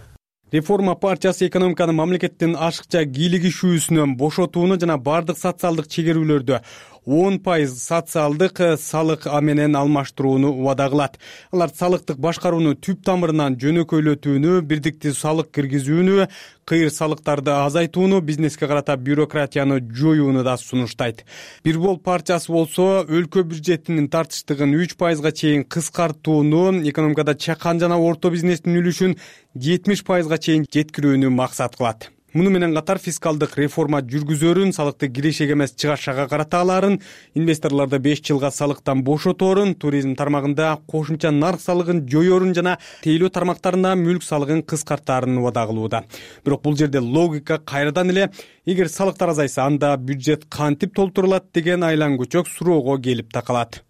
Реформа партиясы экономиканы мамлекеттин ашыкча кийлигишүүсүнөн бошотууну жана бардык социалдык чегерүүлөрдү он пайыз социалдык салык менен алмаштырууну убада кылат. Алар салыктык башкарууну түп тамырынан жөнөкөйлөтүүнү, бирдиктүү салык киргизүүнү, кыйыр салыктарды азайтууну, бизнеске карата бюрократияны жоюуну да сунуштайт. Бир бол партиясы болсо өлкө бюджетинин тартыштыгын үч пайызга чейин кыскартууну, экономикада чакан жана орто бизнестин үлүшүн жетимиш пайызга чейин жеткирүүнү максат кылат. Муну менен катар фискалдык реформа жүргүзөрүн, салыкты кирешеге эмес чыгашага карата аларын, инвесторлорду беш жылга салыктан бошоторун, туризм тармагында кошумча нарк салыгын жоёрун жана тейлөө тармактарында мүлк салыгын кыскартаарын убада кылууда. Бирок бул жерде логика кайрадан эле эгер салыктар азайса, анда бюджет кантип толтурулат деген айлан көчөк суроого келип такалат.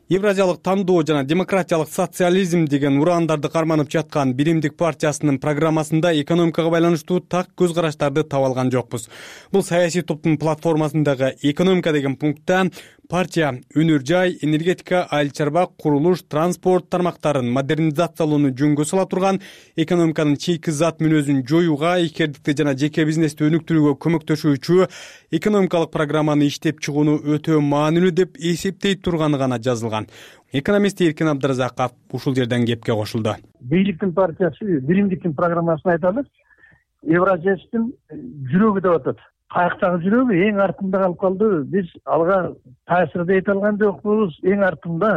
Евразиялык тандоо жана демократиялык социализм деген ураандарды карманып жаткан биримдик партиясынын программасында экономикага байланыштуу так көз караштарды таба алган жокпуз. Бул саясий топтун платформасындагы экономика деген пунктта партия өнөр жай, энергетика, айыл чарба, курулуш, транспорт тармактарын модернизациялоону жөнгө сала турган, экономиканын чийки зат мүнөзүн жоюуга, ишкердикти жана жеке бизнести өнүктүрүүгө көмөктөшүүчү экономикалык программаны иштеп чыгууну өтө маанилүү деп эсептей турганы гана жазылган. Экономист Эркин Абдыразаков ушул жерден кепке кошулду. Бийликтин партиясы биримдиктин программасын айталы. Евразиялыктын жүрөгү деп атат. Каяктагы жүрөгү эң артында калып калды. Биз алга таасир да эте алган жокпуз. Эң артында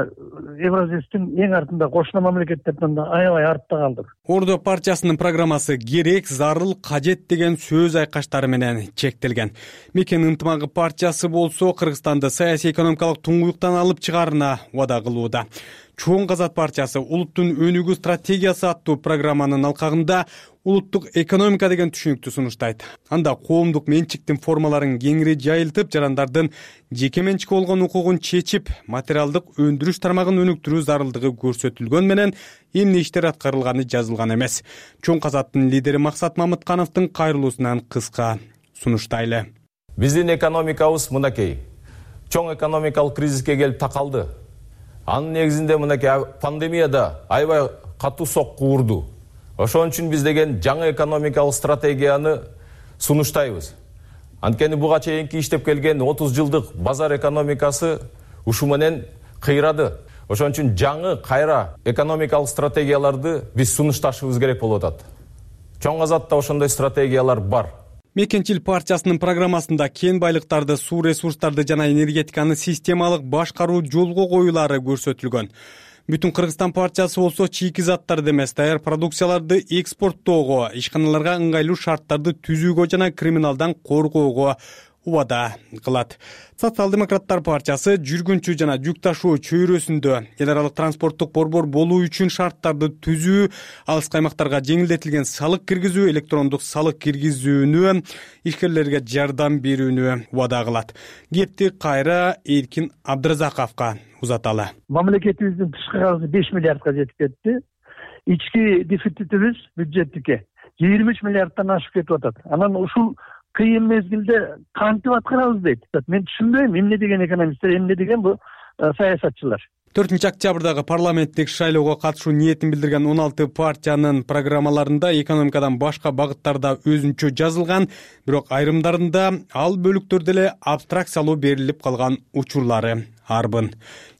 Евразиялыктын эң артында кошуна мамлекеттерден да аябай артта калдык. Ордо партиясынын программасы керек, зарыл, кажет деген сөз айкаштары менен чектелген. Мекен ынтымагы партиясы болсо Кыргызстанды саясий экономикалык туңгуюктан алып чыгаарына убада кылууда. Чоң Казат партиясы улуттун өнүгүү стратегиясы аттуу программанын алкагында улуттук экономика деген түшүнүктү сунуштайт. Анда коомдук менчиктин формаларын кеңири жайылтып, жарандардын жеке менчикке болгон укугун чечип, материалдык өндүрүш тармагын өнүктүрүү зарылдыгы көрсөтүлгөн менен эмне иштер аткарылганы жазылган эмес. Чоң Казаттын лидери Максат Мамыткановдун кайрылуусунан кыска сунуштайлы. Биздин экономикабыз мынакей. Чоң экономикалык кризиске келип такалды. Анын негизинде мынакей пандемияда аябай катуу сокку урду. Ошон үчүн биз деген жаңы экономикалык стратегияны сунуштайбыз. Анткени буга чейинки иштеп келген отуз жылдык базар экономикасы ушу менен кыйрады. Ошон үчүн жаңы кайра экономикалык стратегияларды биз сунушташыбыз керек болуп атат. Чоң Азатта ошондой стратегиялар бар. Мекенчил партиясынын программасында кен байлыктарды, суу ресурстарды жана энергетиканы системалык башкаруу жолго коюлары көрсөтүлгөн. Бүтүн Кыргызстан партиясы болсо чийки заттарды эмес, даяр продукцияларды экспорттоого, ишканаларга ыңгайлуу шарттарды түзүүгө жана криминалдан коргоого убада кылат. Социал-демократтар партиясы жүргүнчү жана жүк ташуу чөйрөсүндө эл аралык транспорттук борбор болуу үчүн шарттарды түзүү, алыскы аймактарга жеңилдетилген салык киргизүү, электрондук салык киргизүүнү, ишкерлерге жардам берүүнү убада кылат. Кепти кайра Эркин Абдыразаковго узаталы. Мамлекетибиздин тышкы карызы беш миллиардка жетип кетти. Ички дефицитибиз бюджеттикке жыйырма үч миллиарддан ашып кетип атат. Анан ушул кыйын мезгилде кантип аткарабыз дейт. Мен түшүнбөйм, эмне деген экономисттер, эмне деген бу саясатчылар. төртүнчү октябрдагы парламенттик шайлоого катышуу ниетин билдирген он алты партиянын программаларында экономикадан башка багыттарда өзүнчө жазылган, бирок айрымдарында ал бөлүктөрдө эле абстракциялуу берилип калган учурлары арбын.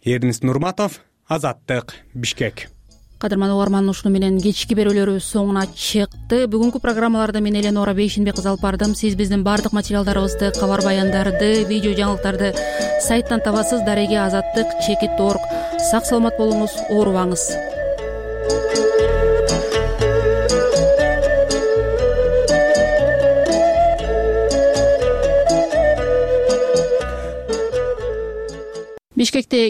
Эрнис Нурматов, Азаттык, Бишкек. Кадырман угарман, ушуну менен кечки берүүлөрүбүз соңуна чыкты. Бүгүнкү программаларда мен Эленора Бейшенбек кызы алып бардым. Сиз биздин бардык материалдарыбызды, кабар баяндарды, видео жаңылыктарды сайттан табасыз. Дареге азаттык чекит точка орг. Сак саламат болуңуз, оорубаңыз. Бишкекте